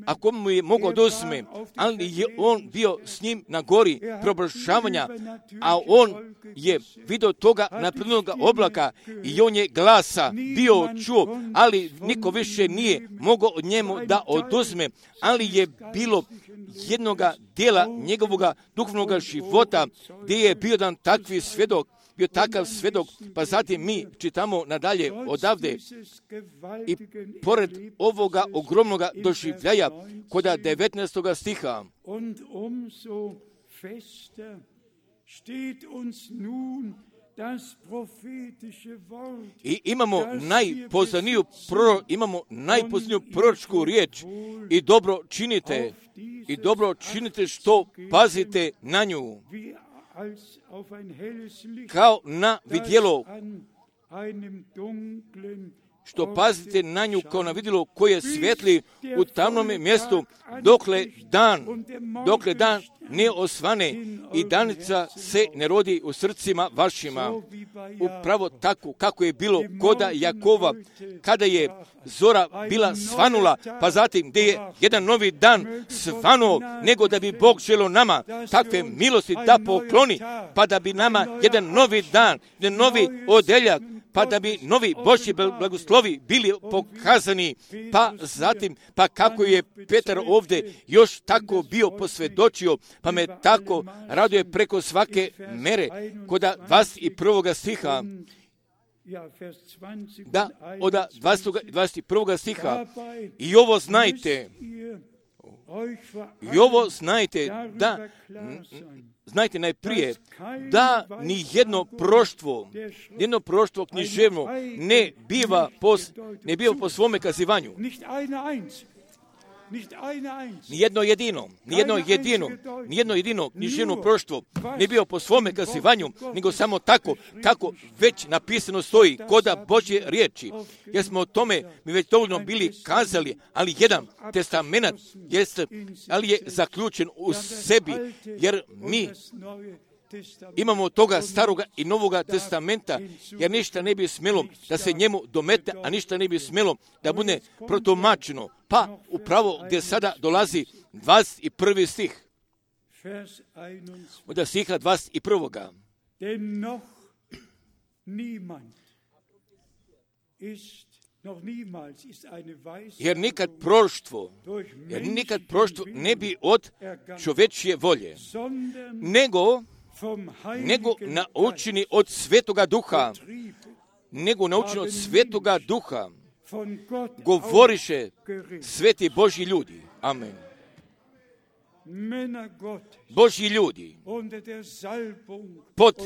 Ako mu je mogao oduzme, ali je on bio s njim na gori preobražavanja, a on je vidio toga naprednog oblaka i on je glasa bio čuo, ali niko više nije mogao od njemu da oduzme, ali je bilo jednoga dijela njegovoga duhovnog života gdje je bio dan takvi svjedok, bio takav svjedok, pa zatim mi čitamo nadalje odavde i pored ovoga ogromnoga doživljaja koda devetnaestoga stiha. I imamo najpoznaniju proro, imamo najpoznaniju proročku riječ i dobro činite, i dobro činite što pazite na nju, kao na vidjelo, što pazite na nju kao na vidjelo koje svijetli u tamnom mjestu, dokle dan, dokle dan ne osvane i danica se ne rodi u srcima vašima. Upravo tako kako je bilo koda Jakova, kada je zora bila svanula, pa zatim gdje je jedan novi dan svanuo, nego da bi Bog želio nama takve milosti da pokloni, pa da bi nama jedan novi dan, jedan novi odeljak, pa da bi novi Božji blagoslovi bili pokazani, pa zatim, pa kako je Petar ovdje još tako bio posvjedočio, pa me tako raduje preko svake mere, kod dvadeset prvog stiha, da, od dvadeset prvog stiha, i ovo znajte, i ovo znajte, da, znajte najprije, da ni jedno proštvo, jedno proštvo književno ne biva po, ne biva po svome kazivanju. Nijedno jedino, nijedno jedino, nijedno jedino književno proštvo ne bio po svome kazivanju, nego samo tako, kako već napisano stoji, koda Božje riječi. Jer smo o tome mi već dovoljno bili kazali, ali jedan testament jest, ali je zaključen u sebi, jer mi imamo toga staroga i novoga testamenta, jer ništa ne bi smjelo da se njemu domete, a ništa ne bi smjelo da bude protumačeno. Pa upravo gdje sada dolazi dvadeset prvi stih, od stiha dvadeset prvog. Jer nikad proštvo, jer nikad proštvo ne bi od čovečje volje, nego nego naučeni od Svetoga Duha, nego naučeni od Svetoga Duha, govoriše sveti Božji ljudi. Amen. Božji ljudi, pod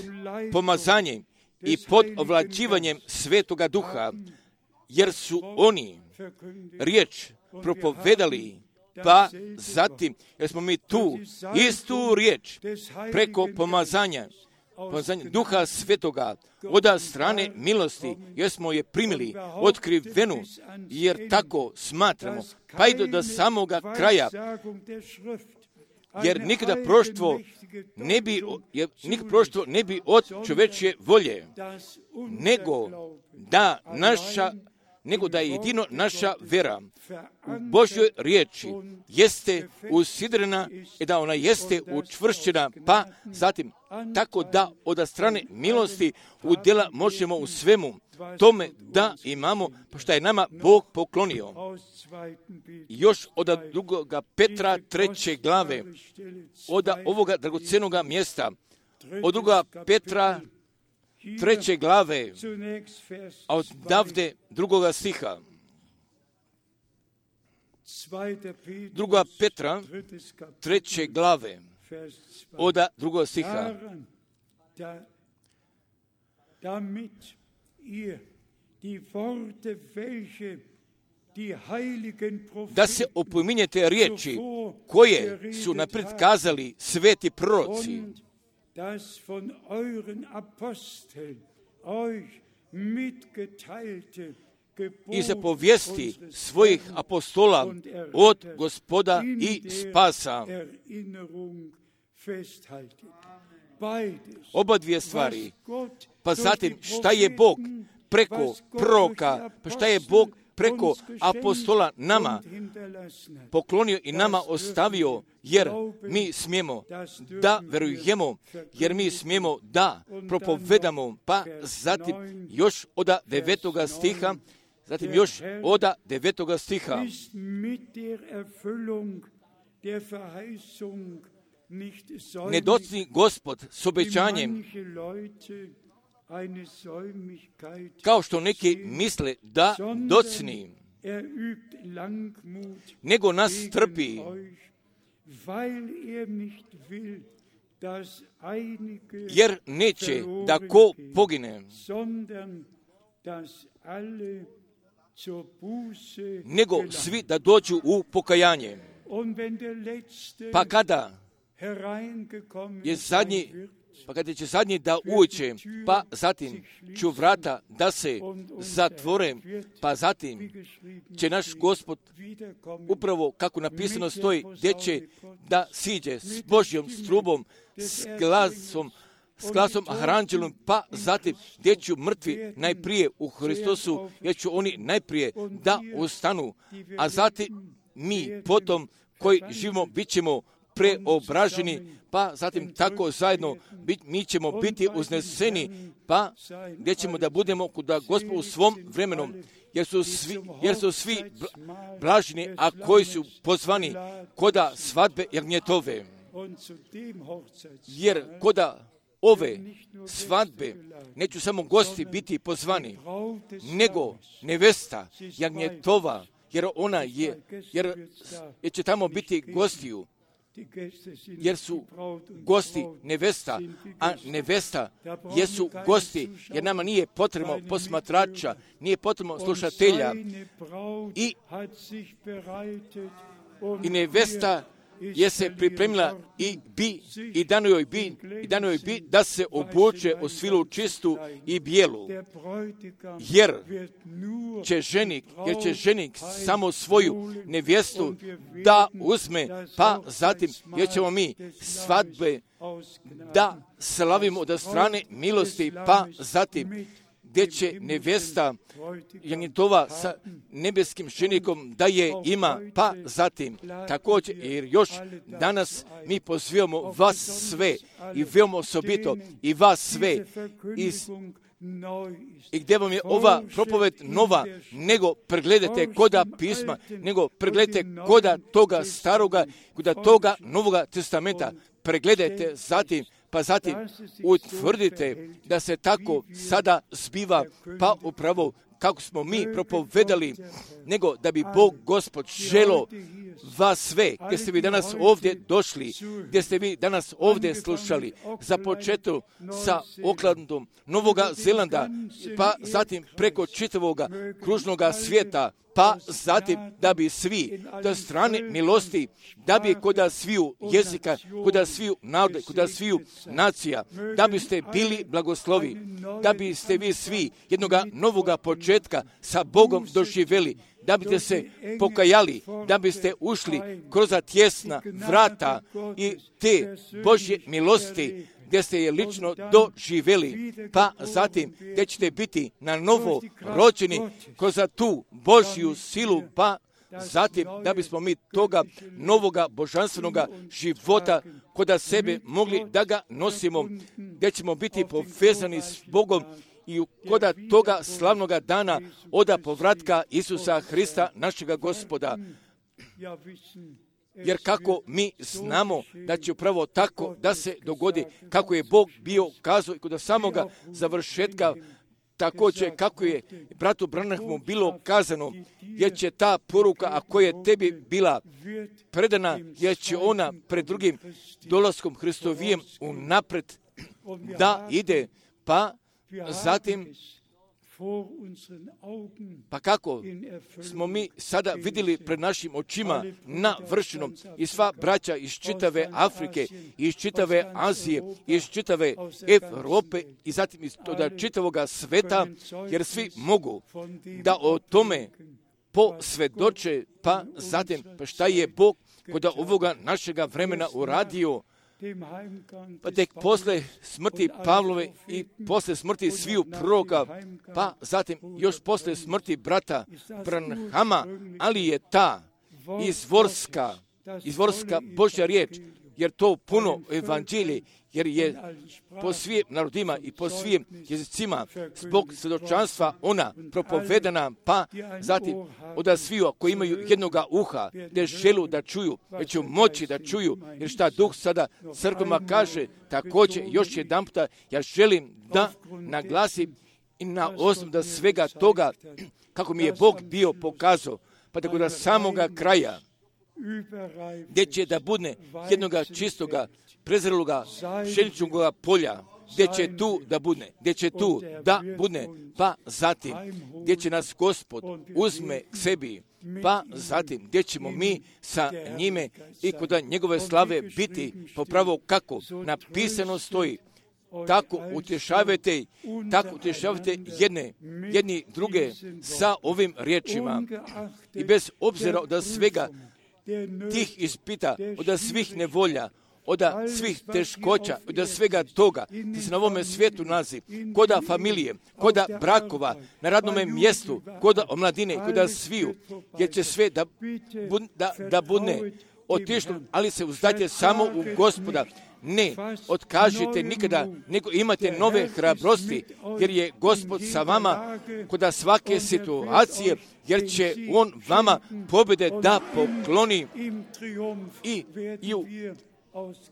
pomazanjem i pod ovlađivanjem Svetoga Duha, jer su oni riječ propovedali, pa zatim, jer smo mi tu istu riječ preko pomazanja, pomazanja Duha Svetoga, od strane milosti, jer smo je primili otkrivenu, jer tako smatramo, pa i do, do samoga kraja, jer nikada proštvo ne bi, jer nikada proštvo ne bi od čovečje volje, nego da naša nego da je jedino naša vera u Božjoj riječi jeste usidrena i da ona jeste učvršćena, pa zatim tako da od strane milosti udjela možemo u svemu tome da imamo, što je nama Bog poklonio. Još od drugoga Petra treće glave, od ovoga dragocenoga mjesta, od drugoga Petra treće glave, a od davde drugoga stiha. Druga Petra treće glave, od drugoga stiha. Da se opominjete riječi koje su naprijed kazali sveti proroci, das von euren Aposteln euch mitgeteilte i zapovijesti svojih apostola od Gospoda i spasa. Oba dvije stvari. Pa zatim šta je Bog preko proroka, pa šta je Bog preko apostola nama poklonio i nama ostavio, jer mi smijemo da verujemo, jer mi smijemo da propovedamo, pa zatim još od devetoga stiha, zatim još od devetoga stiha. Ne docni Gospod s obećanjem, kao što neki misle da docni, nego nas trpi, jer neće da ko pogine, nego svi da dođu u pokajanje. Pa kada je zadnji Pa kada će zadnji da uđe, pa zatim ću vrata da se zatvore, pa zatim će naš Gospod upravo kako napisano stoji, gdje će da siđe s Božjom strubom, s glasom, s glasom aranđelom, pa zatim gdje ću mrtvi najprije u Hristosu, jer ću oni najprije da ustanu, a zatim mi potom koji živimo bit ćemo preobraženi, pa zatim tako zajedno bit, mi ćemo biti uzneseni, pa gdje ćemo da budemo kuda Gospod u svom vremenu, jer su svi, jer su svi blaženi, a koji su pozvani koda svadbe jagnjetove. Jer koda ove svadbe neću samo gosti biti pozvani, nego nevesta jagnjetova, jer ona je, jer, jer će tamo biti gostiju, jer su gosti nevesta, a nevesta jesu gosti, jer nama nije potrebno posmatrača, nije potrebno slušatelja i, i nevesta je se pripremila i bi, i dano joj bi, i dano joj bi da se obuče u svilu čistu i bijelu, jer će ženik, jer će ženik samo svoju nevjestu da uzme, pa zatim, jer ćemo mi svadbe da slavimo od strane milosti, pa zatim, gdje će nevjesta jagnjetova sa nebeskim ženikom da je ima, pa zatim također, jer još danas mi pozivamo vas sve i veoma osobito i vas sve iz, i gdje vam je ova propoved nova, nego pregledajte koda pisma, nego pregledajte koda toga staroga, koda toga novoga testamenta, pregledajte zatim, pa zatim utvrdite da se tako sada zbiva, pa upravo kako smo mi propovedali, nego da bi Bog Gospod želo vas sve, gdje ste vi danas ovdje došli, gdje ste vi danas ovdje slušali, za početu sa Oaklandom, Novoga Zelanda, pa zatim preko čitavoga kružnoga svijeta, pa zatim da bi svi do strane milosti, da bi koda sviju jezika, koda sviju narode, koda sviju nacija, da biste bili blagoslovi, da biste vi svi jednoga novoga početka sa Bogom doživjeli, da biste se pokajali, da biste ušli kroz tjesna vrata i te Božje milosti, gdje ste je lično doživjeli, pa zatim gdje ćete biti na novo rođeni kroz tu Božju silu, pa zatim da bismo mi toga novoga božanstvenoga života koda sebe mogli da ga nosimo, gdje ćemo biti povezani s Bogom i koda toga slavnoga dana oda povratka Isusa Hrista, našega Gospoda. Jer kako mi znamo da će upravo tako da se dogodi, kako je Bog bio kazao i kod samoga završetka, također kako je bratu Branhamu bilo kazano, jer će ta poruka, a koja je tebi bila predana, jer će ona pred drugim dolaskom Hristovijem unapred da ide, pa zatim pa kako smo mi sada vidjeli pred našim očima navršeno i sva braća iz čitave Afrike, iz čitave Azije, iz čitave Europe i zatim iz toga čitavoga sveta, jer svi mogu da o tome posvjedoče, pa zatim pa šta je Bog kod ovoga našega vremena uradio. Pa tek posle smrti Pavlove i posle smrti sviju proroka, pa zatim još posle smrti brata Branhama, ali je ta izvorska, izvorska Božja riječ, jer to puno evanđelje, jer je po svim narodima i po svim jezicima zbog svjedočanstva ona propovedana, pa zatim od sviju koji imaju jednoga uha, gdje želu da čuju, jer će moći da čuju, jer šta Duh sada crkvama kaže, također još jedan puta ja želim da naglasim i na osnovu da svega toga, kako mi je Bog bio pokazao, pa tako da samoga kraja, gdje će da bude jednoga čistoga, prezreloga, pšeničnoga polja, gdje će tu da bude, gdje će tu da bude, pa zatim, gdje će nas Gospod uzme k sebi, pa zatim, gdje ćemo mi sa njime i kod njegove slave biti, popravo kako napisano stoji, tako utješavajte, tako utješavajte jedne, jedni druge sa ovim riječima i bez obzira od svega tih ispita, od svih nevolja, od svih teškoća, od svega toga, ti se na ovome svijetu nalazi, koda familije, koda brakova, na radnome mjestu, koda omladine, koda sviju, jer će sve da, da, da bude otišli, ali se uzdajte samo u Gospoda. Ne otkažite nikada, nego imate nove hrabrosti, jer je Gospod sa vama kod svake situacije, jer će On vama pobjede da pokloni i, i u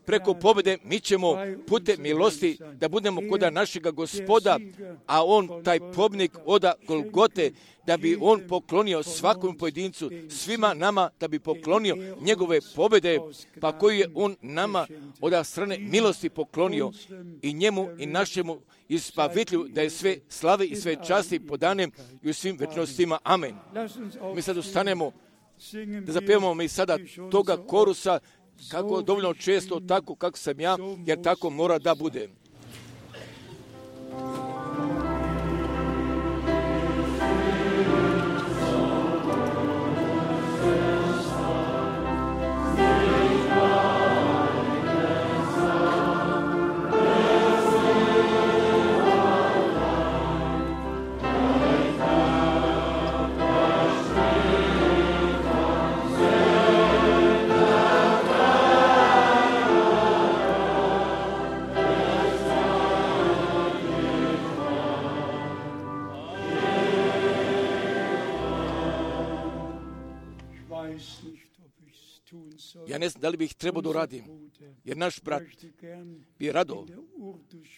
preko pobjede mi ćemo putem milosti da budemo kod našega Gospoda, a On, taj pobjednik oda Golgote, da bi On poklonio svakom pojedincu, svima nama, da bi poklonio njegove pobjede, pa koju je On nama od strane milosti poklonio, i njemu i našemu Izbavitelju, da je sve slave i sve časti podane i u svim večnostima. Amen. Mi sad ustanemo da zapevamo mi sada toga korusa, kako dovoljno često, tako kako sam ja, jer tako mora da bude. Ja ne znam da li bih trebao da uradim, jer naš brat bi rado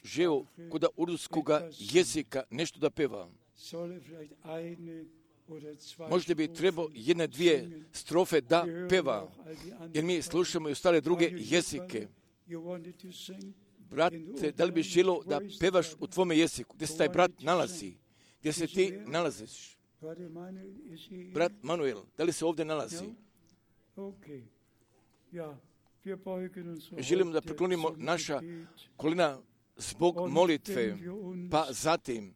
žeo kod urduskoga jezika nešto da peva. Možda bi trebao jedne, dvije strofe da peva, jer mi slušamo i ostale druge jezike. Brate, da li bi želio da pevaš u tvome jeziku, gdje se taj brat nalazi, gdje se ti nalaziš? Brat Manuel, da li se ovdje nalazi? Želimo da preklonimo naša kolina zbog molitve, pa zatim,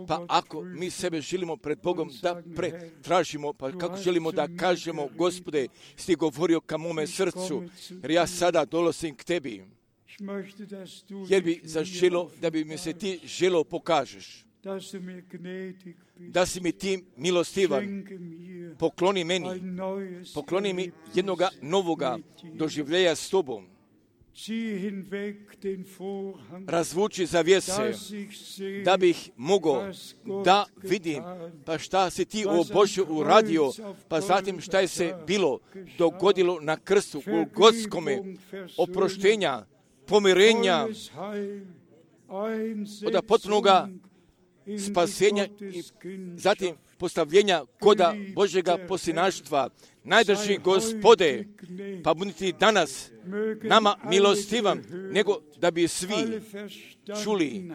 pa ako mi sebe želimo pred Bogom da pretražimo, pa kako želimo da kažemo, Gospode, si govorio ka mome srcu, jer ja sada dolazim k tebi, jer bi zaželo da bi mi se ti želo pokažeš, da si mi ti milostivan, pokloni meni, pokloni mi jednoga novoga doživljenja s tobom. Razvuči zavjese, da bih mogao da vidim, pa šta si ti, o Bože, uradio, pa zatim šta je se bilo dogodilo na krstu u Golgotskome, oproštenja, pomirenja, od potpunoga spasenja i zatim postavljenja koda Božjega posinaštva. Najdrži Gospode, pa budite danas nama milostivan, nego da bi svi čuli,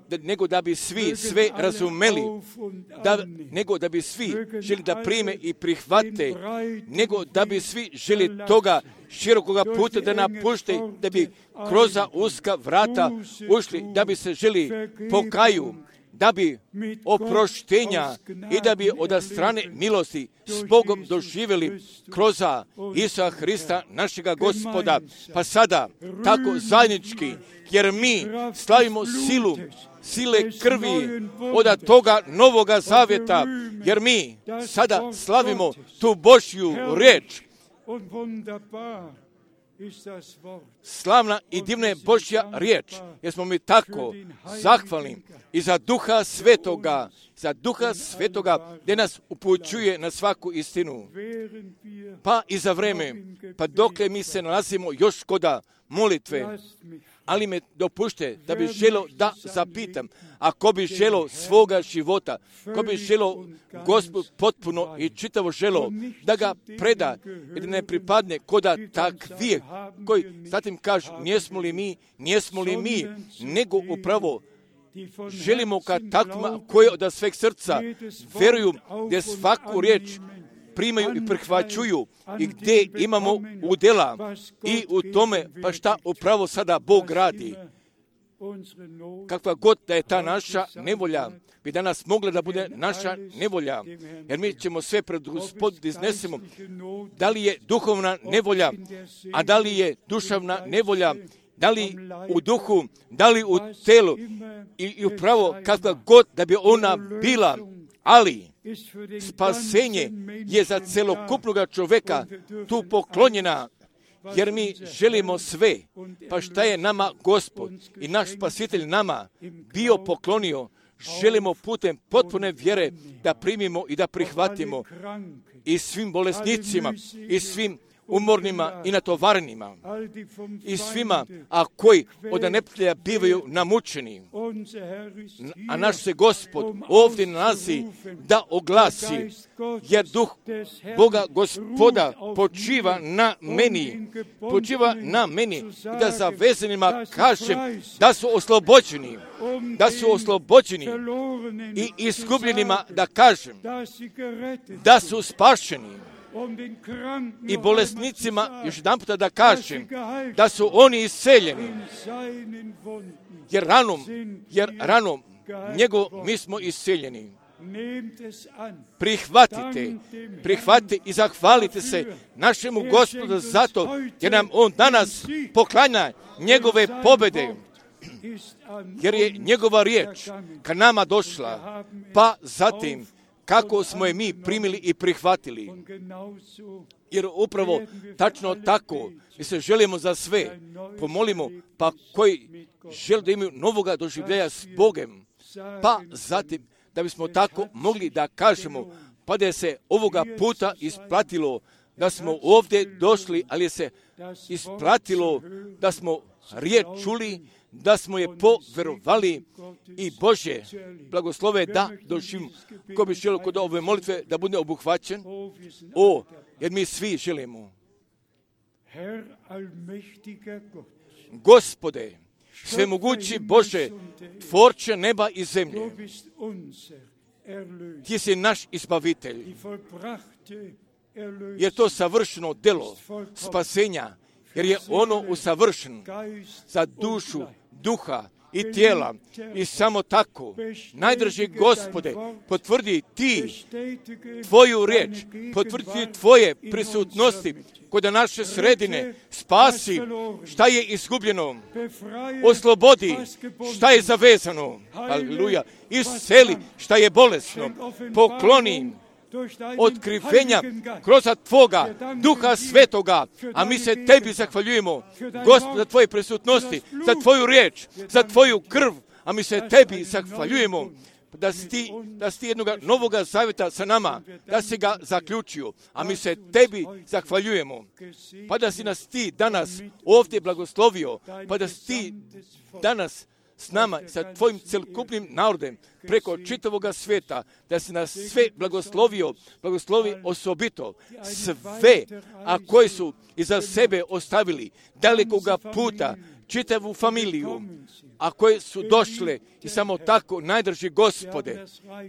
da, nego da bi svi sve razumeli, da, nego da bi svi želi da prime i prihvate, nego da bi svi želi toga širokoga puta da napušte, da bi kroz uska vrata ušli, da bi se želi pokaju, da bi oproštenja i da bi od strane milosti s Bogom doživjeli kroz Isusa Hrista, našega Gospoda. Pa sada, tako zajednički, jer mi slavimo silu, sile krvi od toga novoga zavjeta, jer mi sada slavimo tu Božju riječ. Slavna i divna je Božja riječ, jer smo mi tako zahvalni i za Duha Svetoga, za Duha Svetoga, gdje nas upućuje na svaku istinu. Pa i za vreme, pa dokle mi se nalazimo još koda molitve, ali me dopušte da bi želo da zapitam, ako bi želo svoga života, ko bi želo Gospod potpuno i čitavo želo da ga preda i da ne pripadne koda takvih koji zatim kažu, nijesmo li mi, nijesmo li mi, nego upravo želimo ka takvima koji od sveg srca veruju, gdje svaku riječ primaju i prihvaćuju i gdje imamo udjela i u tome, pa šta upravo sada Bog radi. Kakva god da je ta naša nevolja, bi danas mogla da bude naša nevolja, jer mi ćemo sve pred Gospod iznesemo. Da li je duhovna nevolja, a da li je duševna nevolja, da li u duhu, da li u telu i, i upravo kakva god da bi ona bila, ali spasenje je za celokupnog čoveka tu poklonjena, jer mi želimo sve. Pa šta je nama Gospod i naš Spasitelj nama bio poklonio, želimo putem potpune vjere da primimo i da prihvatimo i svim bolesnicima i svim umornima i natovarenima i svima, a koji od neprijatelja bivaju namučeni. A naš se Gospod ovdje nalazi da oglasi, jer duh Boga Gospoda počiva na meni, počiva na meni i da za vezanima kažem da su oslobođeni, da su oslobođeni i izgubljenima da kažem da su spašeni. I bolesnicima još jedan puta da kažem da su oni isceljeni, jer ranom, jer ranom njegov mi smo isceljeni. Prihvatite, prihvatite i zahvalite se našemu Gospodu zato jer nam on danas poklanja njegove pobjede, jer je njegova riječ ka nama došla, pa zatim kako smo je mi primili i prihvatili. Jer upravo tačno tako mi se želimo za sve pomolimo, pa koji žele da imaju novoga doživljaja s Bogem, pa zatim da bismo tako mogli da kažemo, pa da je se ovoga puta isplatilo da smo ovdje došli, ali je se isplatilo da smo riječ čuli, da smo je poverovali i Bože blagoslove da doživimo. Ko bi želio kod ove molitve da bude obuhvaćen? O, jer mi svi želimo. Gospode, svemogući Bože, tvorče neba i zemlje, Ti si naš izbavitelj. Je to savršeno delo spasenja, jer je ono usavršeno za dušu, duha i tijela. I samo tako, najdrži Gospode, potvrdi Ti Tvoju riječ, potvrdi Tvoje prisutnosti kod naše sredine, spasi šta je izgubljeno, oslobodi šta je zavezano, aleluja, isceli šta je bolesno, pokloni otkrivenja kroz Tvoga Duha Svetoga, a mi se Tebi zahvaljujemo, Gospod, za Tvoje prisutnosti, za Tvoju riječ, za Tvoju krv, a mi se Tebi zahvaljujemo da si ti, da si ti jednoga novoga zavjeta sa nama, da si ga zaključio, a mi se Tebi zahvaljujemo, pa da si nas Ti danas ovdje blagoslovio, pa da si Ti danas s nama, sa Tvojim celokupnim narodem, preko čitavoga svijeta, da si nas sve blagoslovio, blagoslovi osobito sve, a koji su iza sebe ostavili dalekoga puta, čitavu familiju, a koje su došle i samo tako najdrži Gospode,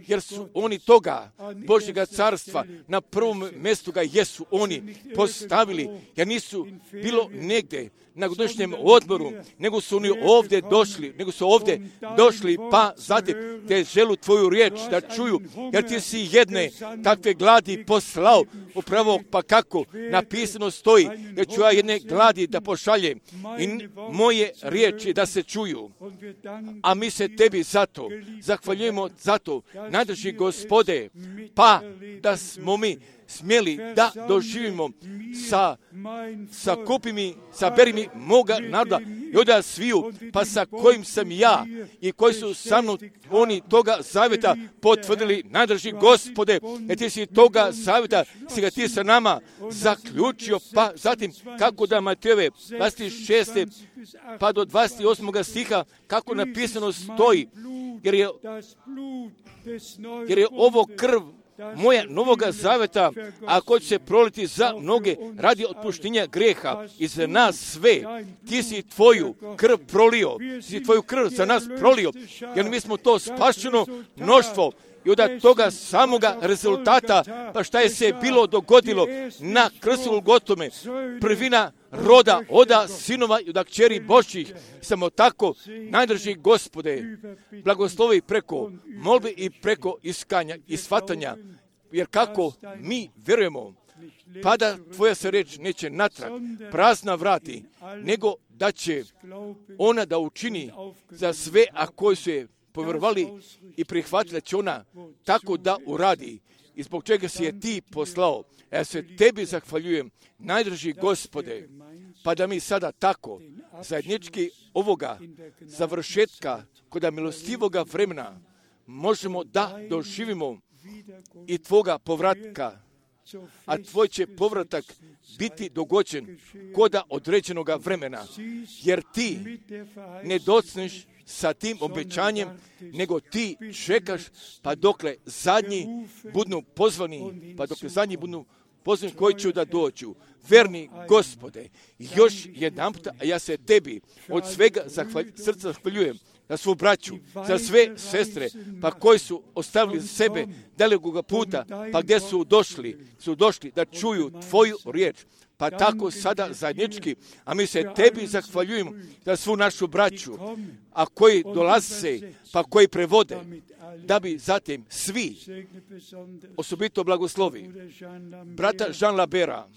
jer su oni toga Božjega carstva na prvom mjestu ga jesu oni postavili, jer nisu bilo negdje na godišnjem odmoru, nego su oni ovdje došli, nego su ovdje došli, pa zatim te želu Tvoju riječ da čuju, jer Ti si jedne takve gladi poslao, upravo pa kako napisano stoji, jer ću ja jedne gladi da pošaljem i moje riječi da se čuju. A mi se Tebi zato zahvaljujemo zato, najdrži Gospode, pa da smo mi smjeli da doživimo sa, sa kupimi, sa berimi moga naroda i onda sviju, pa sa kojim sam ja i koji su sa mnom oni toga zavjeta potvrdili, najdrži Gospode, jer Ti si toga zavjeta, si ga Ti sa nama zaključio, pa zatim kako da Matejove dvadeset šeste pa do dvadeset osmog stiha, kako napisano stoji, jer je, jer je ovo krv moja novoga zaveta, a ko će se proliti za mnoge radi otpuštenja greha i za nas sve. Ti si Tvoju krv prolio, ti si Tvoju krv za nas prolio, jer mi smo to spašeno mnoštvo. I od toga samoga rezultata, pa šta je se bilo dogodilo na krstu Golgotome, prvina roda, oda sinova i od kćeri Božjih, samo tako najdrži Gospode, blagoslovi preko molbe i preko iskanja i shvatanja, jer kako mi vjerujemo, pa da Tvoja se reč neće natrag prazna vrati, nego da će ona da učini za sve, a koji su je povjerovali i prihvatili da će ona tako da uradi i zbog čega si je ti poslao. Ja se tebi zahvaljujem, najdraži Gospode, pa da mi sada tako zajednički ovoga završetka kod milostivoga vremena možemo da doživimo i tvoga povratka, a tvoj će povratak biti dogođen koda određenoga vremena, jer ti ne docneš sa tim obećanjem, nego ti čekaš pa dokle zadnji budu pozvani, pa dokle zadnji budu pozvani koji će da dođu. Verni Gospode, još jedan puta, a ja se tebi od svega zahvalj, srca zahvaljujem za svu braću, za sve sestre, pa koji su ostavili sebe dalekoga puta, pa gdje su došli, su došli da čuju tvoju riječ, pa tako sada zajednički, a mi se tebi zahvaljujemo za svu našu braću, a koji dolaze, pa koji prevode, da bi zatim svi osobito blagoslovi brata Jean Labera,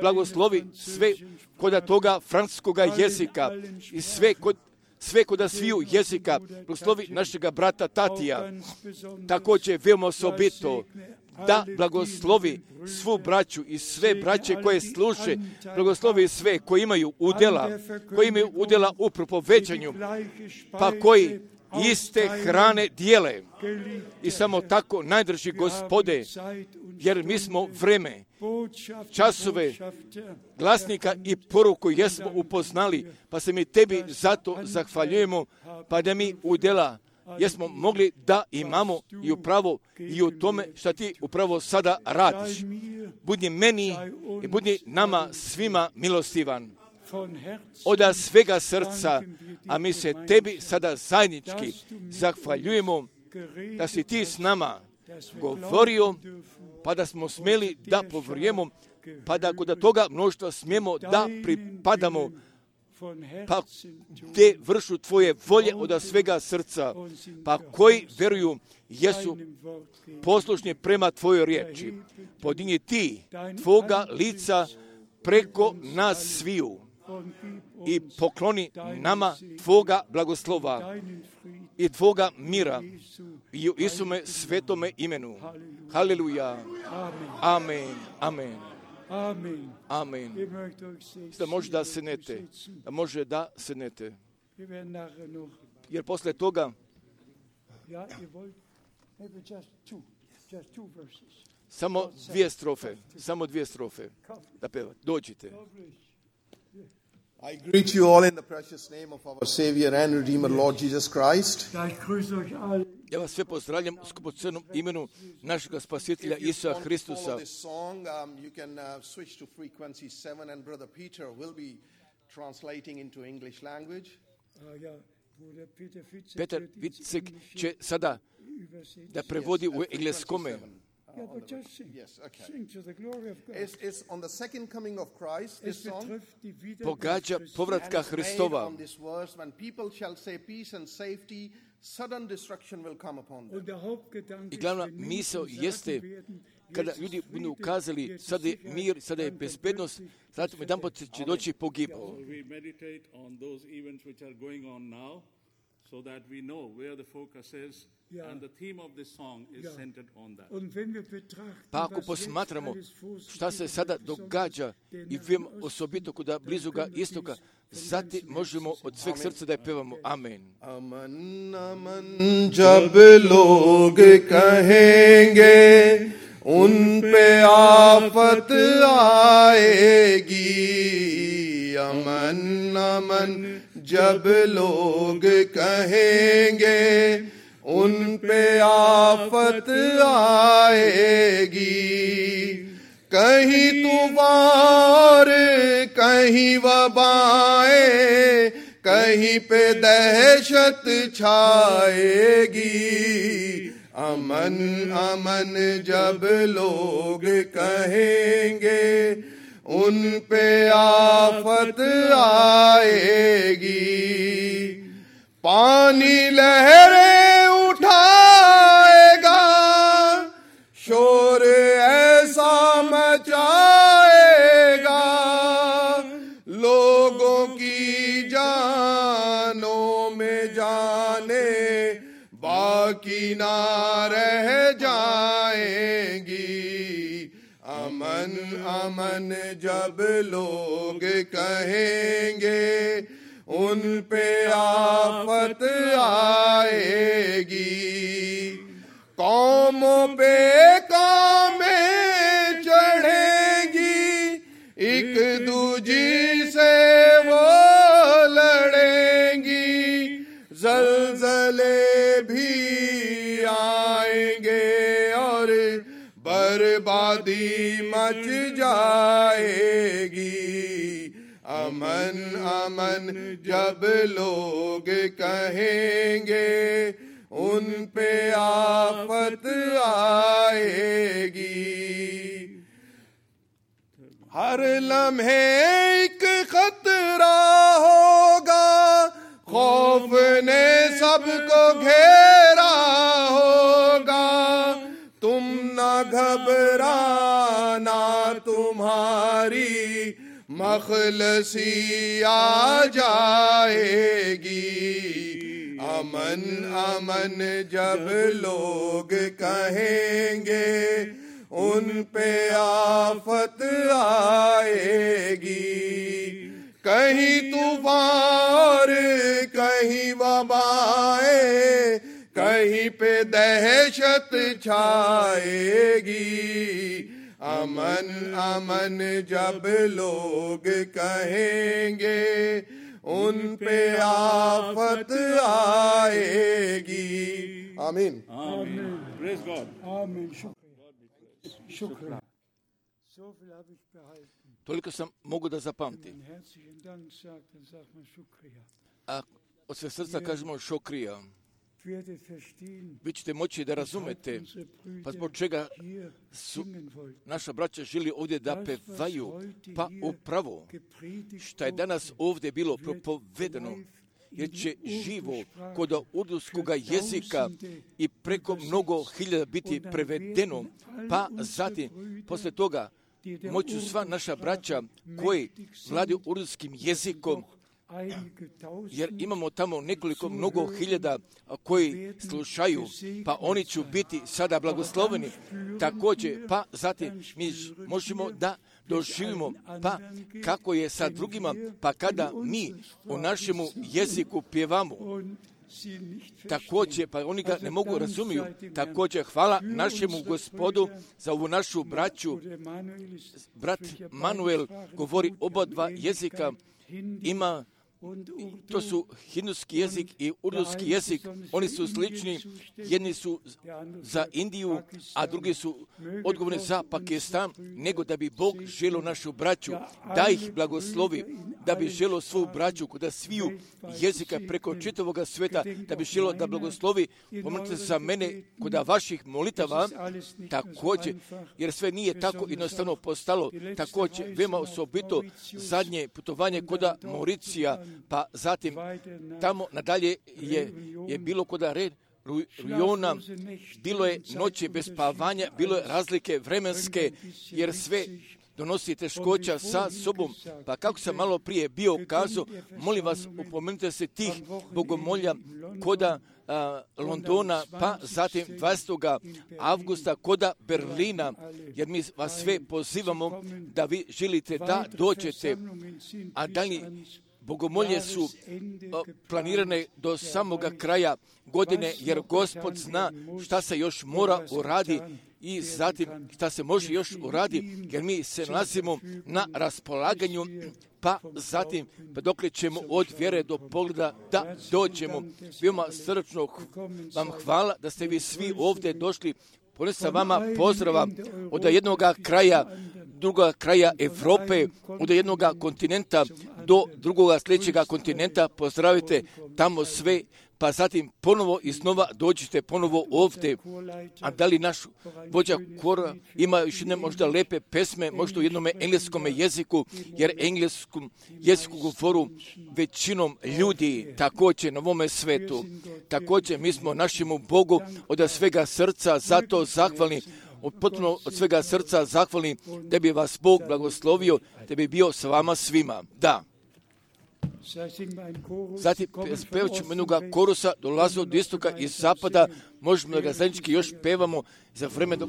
blagoslovi sve kod toga francuskoga jezika i sve kod sve kod sviju jezika, blagoslovi našega brata Tatija, također veoma osobito da blagoslovi svu braću i sve braće koje služe, blagoslovi sve koji imaju udjela, koji imaju udjela u propoveđanju, pa koji iste hrane dijele. I samo tako, najdrži Gospode, jer mi smo vreme, časove, glasnika i poruku jesmo upoznali, pa se mi tebi zato zahvaljujemo, pa da mi udjela jesmo mogli da imamo i upravo i u tome što ti upravo sada radiš. Budi meni i budi nama svima milostivan. Od svega srca, a mi se tebi sada zajednički zahvaljujemo da si ti s nama govorio, pa da smo smjeli da povjerujemo, pa da kod toga mnoštva smijemo da pripadamo, pa te vršu tvoje volje od svega srca, pa koji veruju jesu poslušni prema tvojoj riječi. Podigni ti tvoga lica preko nas sviju i pokloni nama tvoga blagoslova i tvoga mira i u Isume svetome imenu. Haleluja. Amen. Amen. Amen. Amen. Da može da sednete. Da može da sednete. Jer posle toga samo dvije strofe. Samo dvije strofe. Da peva. Dođite. I greet you all in the precious name of our Savior and Redeemer, Lord Jesus Christ. Ja vas sve pozdravljam u skupocenom imenu našeg spasitelja Isusa Hristusa. This song, um, you can uh, switch to frequency seven, and Brother Peter will be translating into English language. Petar Vicek će sada da prevodi u engleskome. Yeah, but just sing. Yes, okay. Sing to the glory of God. It's, it's on the second coming of Christ, this song. Pogađa povratka Hristova. On this verse, when people shall say peace and safety, sudden destruction will come upon them. I glavna misao jeste kada ljudi budu ukazali sada je mir, sada je bezbednost, zato jedan pot će doći pogibao. So that we know where the focus is, yeah. And the theme of this song is yeah. centered on that. Pa ako posmatramo šta se sada događa i vem osobito kuda blizuga istoka, zatim možemo od sveg srca da je pevamo Amen. Aman, aman, jab log kahenge, un pe afat aayegi. Aman, aman, जब लोग कहेंगे उन पे आफत आएगी, कहीं तूफान कहीं वबाएं, कहीं पे दहशत छाएगी. अमन अमन जब लोग कहेंगे उन पे आफत आएगी. पानी लहरें उठाएगा, शोर ऐसा मचाएगा, लोगों की जानों में जाने अमन अमन जब लोग कहेंगे उन पे आफत आएगी, कौमों पे कौमें चढ़ेंगी, एक दूजी से वो लड़ेंगी, ज़लज़ले भी आएंगे और बर्बादी मच जाएगी। अमन अमन जब लोग कहेंगे उन पे आफत आएगी। हर लम्हे एक खतरा होगा, खौफ ने सबको घेरा होगा, तुम ना घबराना तुम्हारी मखलसी आ जाएगी। अमन अमन जब लोग कहेंगे उन पे आफत आएगी, कहीं तूफान और कहीं वबाएं, कहीं पे दहशत छाएगी। अमन अमन जब लोग कहेंगे उन पे आफत आएगी। आमीन। Praise God. Amen. Shukra. So viel habe ich behalten. Toliko sam mogu da zapamtim. Herzlichen Dank sagt, dann sagt man Shukriya. A od sve srca kažemo šokrija. Werdet verstehen, Vi ćete moći da razumete pa zbog čega su naša braća žili ovdje da pevaju, pa upravo što je danas ovdje bilo propovedano, jer će živo kod urduskoga jezika i preko mnogo hiljada biti prevedeno, pa zatim posle toga moću sva naša braća koji vladaju urdutskim jezikom, jer imamo tamo nekoliko mnogo hiljada koji slušaju, pa oni će biti sada blagosloveni također, pa zatim mi možemo da doživimo, pa kako je sa drugima, pa kada mi u našemu jeziku pjevamo, također, pa oni ga ne mogu razumiju, također hvala našemu Gospodu za ovu našu braću. Brat Manuel govori oba dva jezika, ima, to su hinduski jezik i urduski jezik, oni su slični, jedni su za Indiju, a drugi su odgovorni za Pakistan, nego da bi Bog želio našu braću, da ih blagoslovi, da bi želio svu braću kod sviju jezika preko čitavoga sveta, da bi želio da blagoslovi, pomolite za mene kod vaših molitava, također, jer sve nije tako jednostavno postalo, također, veoma osobito zadnje putovanje kod Mauricija, pa zatim tamo nadalje je, je bilo kod Red Rujona, bilo je noći bez spavanja, bilo je razlike vremenske, jer sve donosi teškoća sa sobom. Pa kako sam malo prije bio kazao, molim vas, upomenite se tih bogomolja koda a, Londona, pa zatim dvadesetog avgusta koda Berlina, jer mi vas sve pozivamo da vi želite da dođete, a dalje bogomolje su planirane do samoga kraja godine, jer Gospod zna šta se još mora uradi i zatim šta se može još uradi, jer mi se nalazimo na raspolaganju, pa zatim pa dokle ćemo od vjere do pogleda da dođemo. Veoma srdačno vam hvala da ste vi svi ovdje došli. Ponesam vama pozdrava od jednog kraja, drugoga kraja Evrope, od jednog kontinenta do drugoga sljedećega kontinenta. Pozdravite tamo sve, pa zatim ponovo i snova dođite ponovo ovdje. A da li naš vođa kora ima još jedne možda lepe pesme, možda u jednom engleskom jeziku, jer engleskom jeziku govoru većinom ljudi također na ovome svetu. Također mi smo našemu Bogu od svega srca zato zahvalni, od potpuno od svega srca zahvalni da bi vas Bog blagoslovio, da bi bio s vama svima. Da. Zatim pevat ćemo jednog korusa, dolaze od istoka i zapada, možemo da ga zajednički još pevamo za vreme do...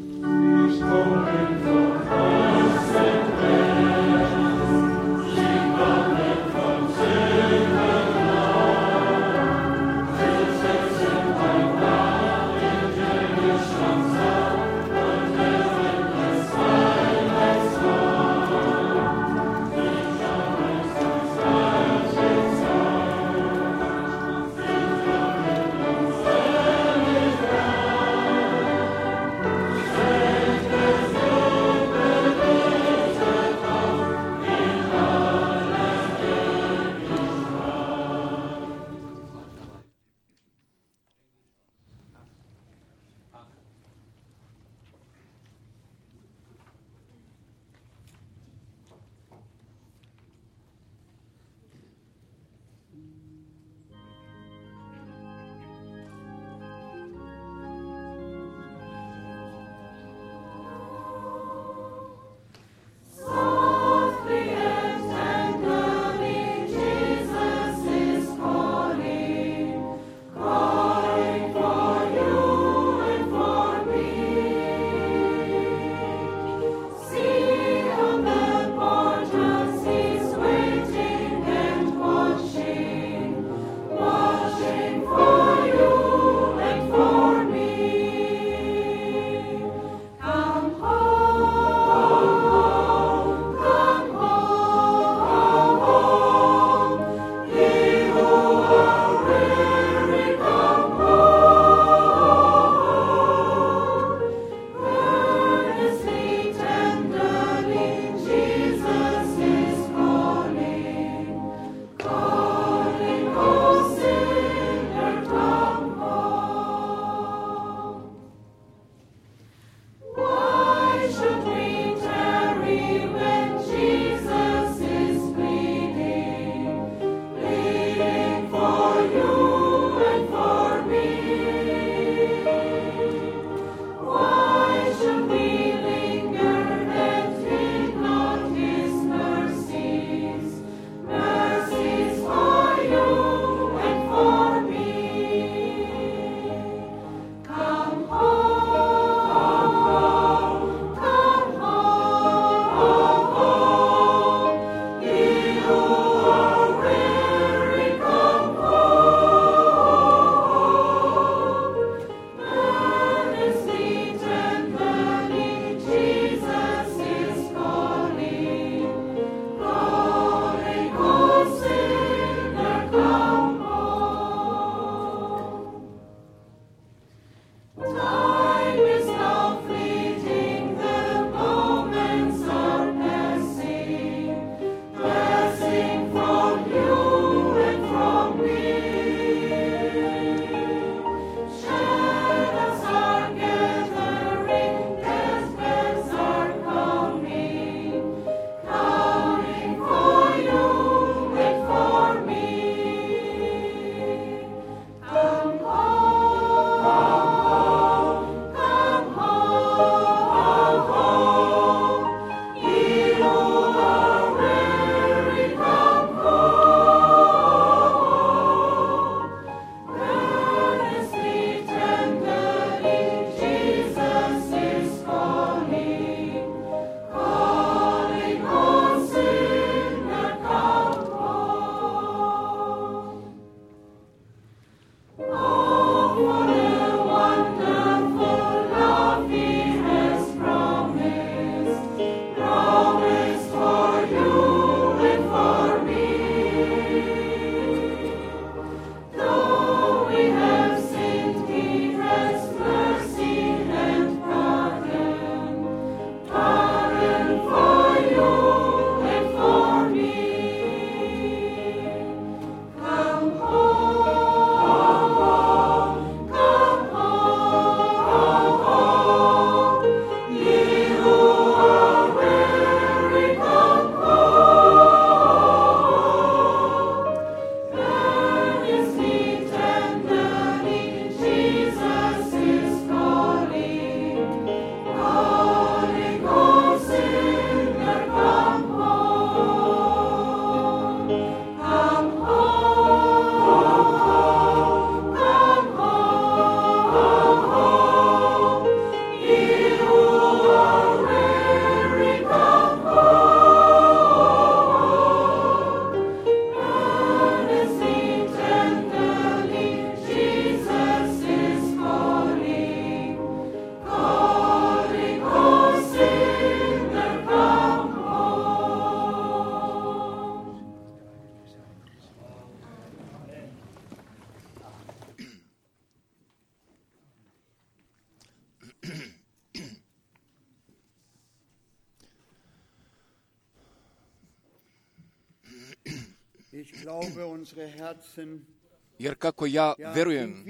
Jer kako ja verujem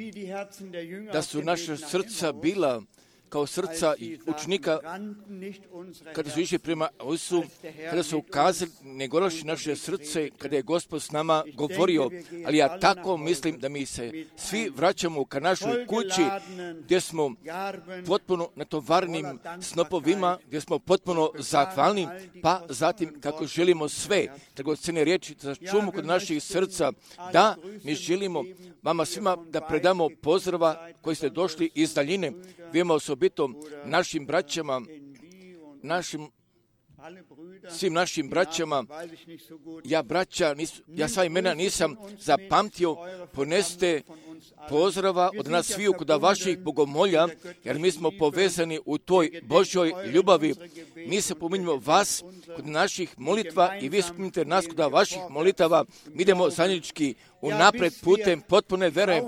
da su naša srca bila kao srca učenika kada su išli prema Isusu, kada su ukazali, ne golaši naše srce, kada je Gospod s nama govorio, ali ja tako mislim da mi se svi vraćamo ka našoj kući, gdje smo potpuno natovarnim snopovima, gdje smo potpuno zahvalni, pa zatim kako želimo sve, dragocjene riječi za čumu kod naših srca, da mi želimo vama svima da predamo pozdrava koji ste došli iz daljine, vijemo osobito našim braćama, našim, svim našim braćama. Ja braća, nis, ja sva imena nisam zapamtio, poneste pozdrava od nas sviju kod vaših bogomolja, jer mi smo povezani u toj Božoj ljubavi. Mi se pominjamo vas kod naših molitva i vi spominjate nas kod vaših molitava. Mi idemo zajednički unapred putem potpune vere,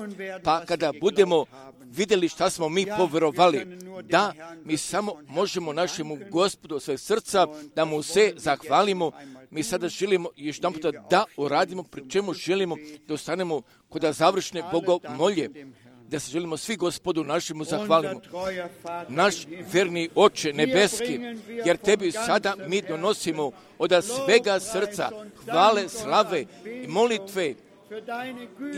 pa kada budemo vidjeli šta smo mi povjerovali, da mi samo možemo našemu Gospodu sve srca, da mu se zahvalimo. Mi sada želimo još jedan puta da uradimo, pri čemu želimo da ostanemo kod završne bogomolje, da se želimo svi Gospodu našemu zahvalimo. Naš verni Oče nebeski, jer tebi sada mi donosimo od svega srca hvale, slave i molitve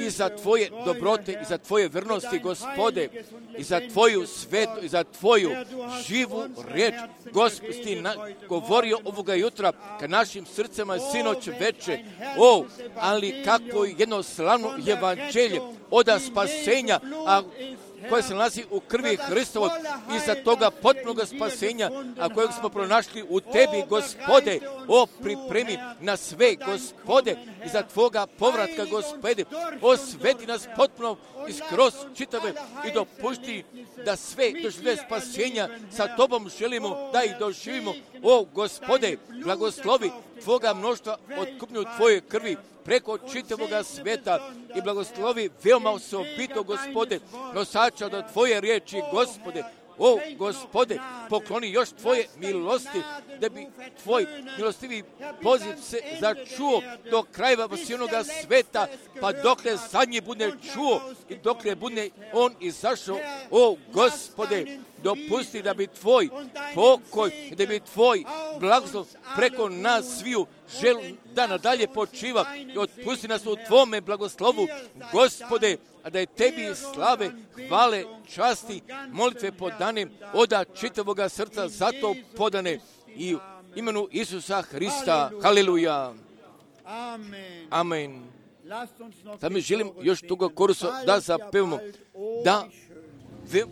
i za tvoje dobrote, i za tvoje vrnosti, Gospode, i za tvoju svetu, i za tvoju živu riječ. Gospod, ti na, govorio ovoga jutra ka našim srcima sinoć veče. O, ali kako jedno slavno evanđelje oda spasenja, a koje se nalazi u krvi Hristovog, i za toga potpunog spasenja, a kojeg smo pronašli u tebi, Gospode. O, pripremi na sve, Gospode, i za tvoga povratka, Gospode. Osveti nas potpuno i skroz čitave i dopušti da sve dožive spasenja sa tobom želimo da ih doživimo. O, Gospode, blagoslovi tvoga mnoštva otkupnju tvoje krvi preko čitavoga sveta i blagoslovi veoma osobito, Gospode, nosača do tvoje riječi, Gospode. O, Gospode, pokloni još tvoje milosti, da bi tvoj milostivi poziv se začuo do krajeva vasijonoga sveta, pa dokle zadnji bude čuo i dokle bude on izašao. O, Gospode, dopusti da bi tvoj pokoj, da bi tvoj blagoslov preko nas sviju žel da nadalje počiva i otpusti nas u tvome blagoslovu, Gospode, a da je tebi slave, hvale, časti, molitve podane oda čitavoga srca zato podane i u imenu Isusa Hrista. Haleluja. Amen. Da mi želim još toga korusa da zapevamo, da ve...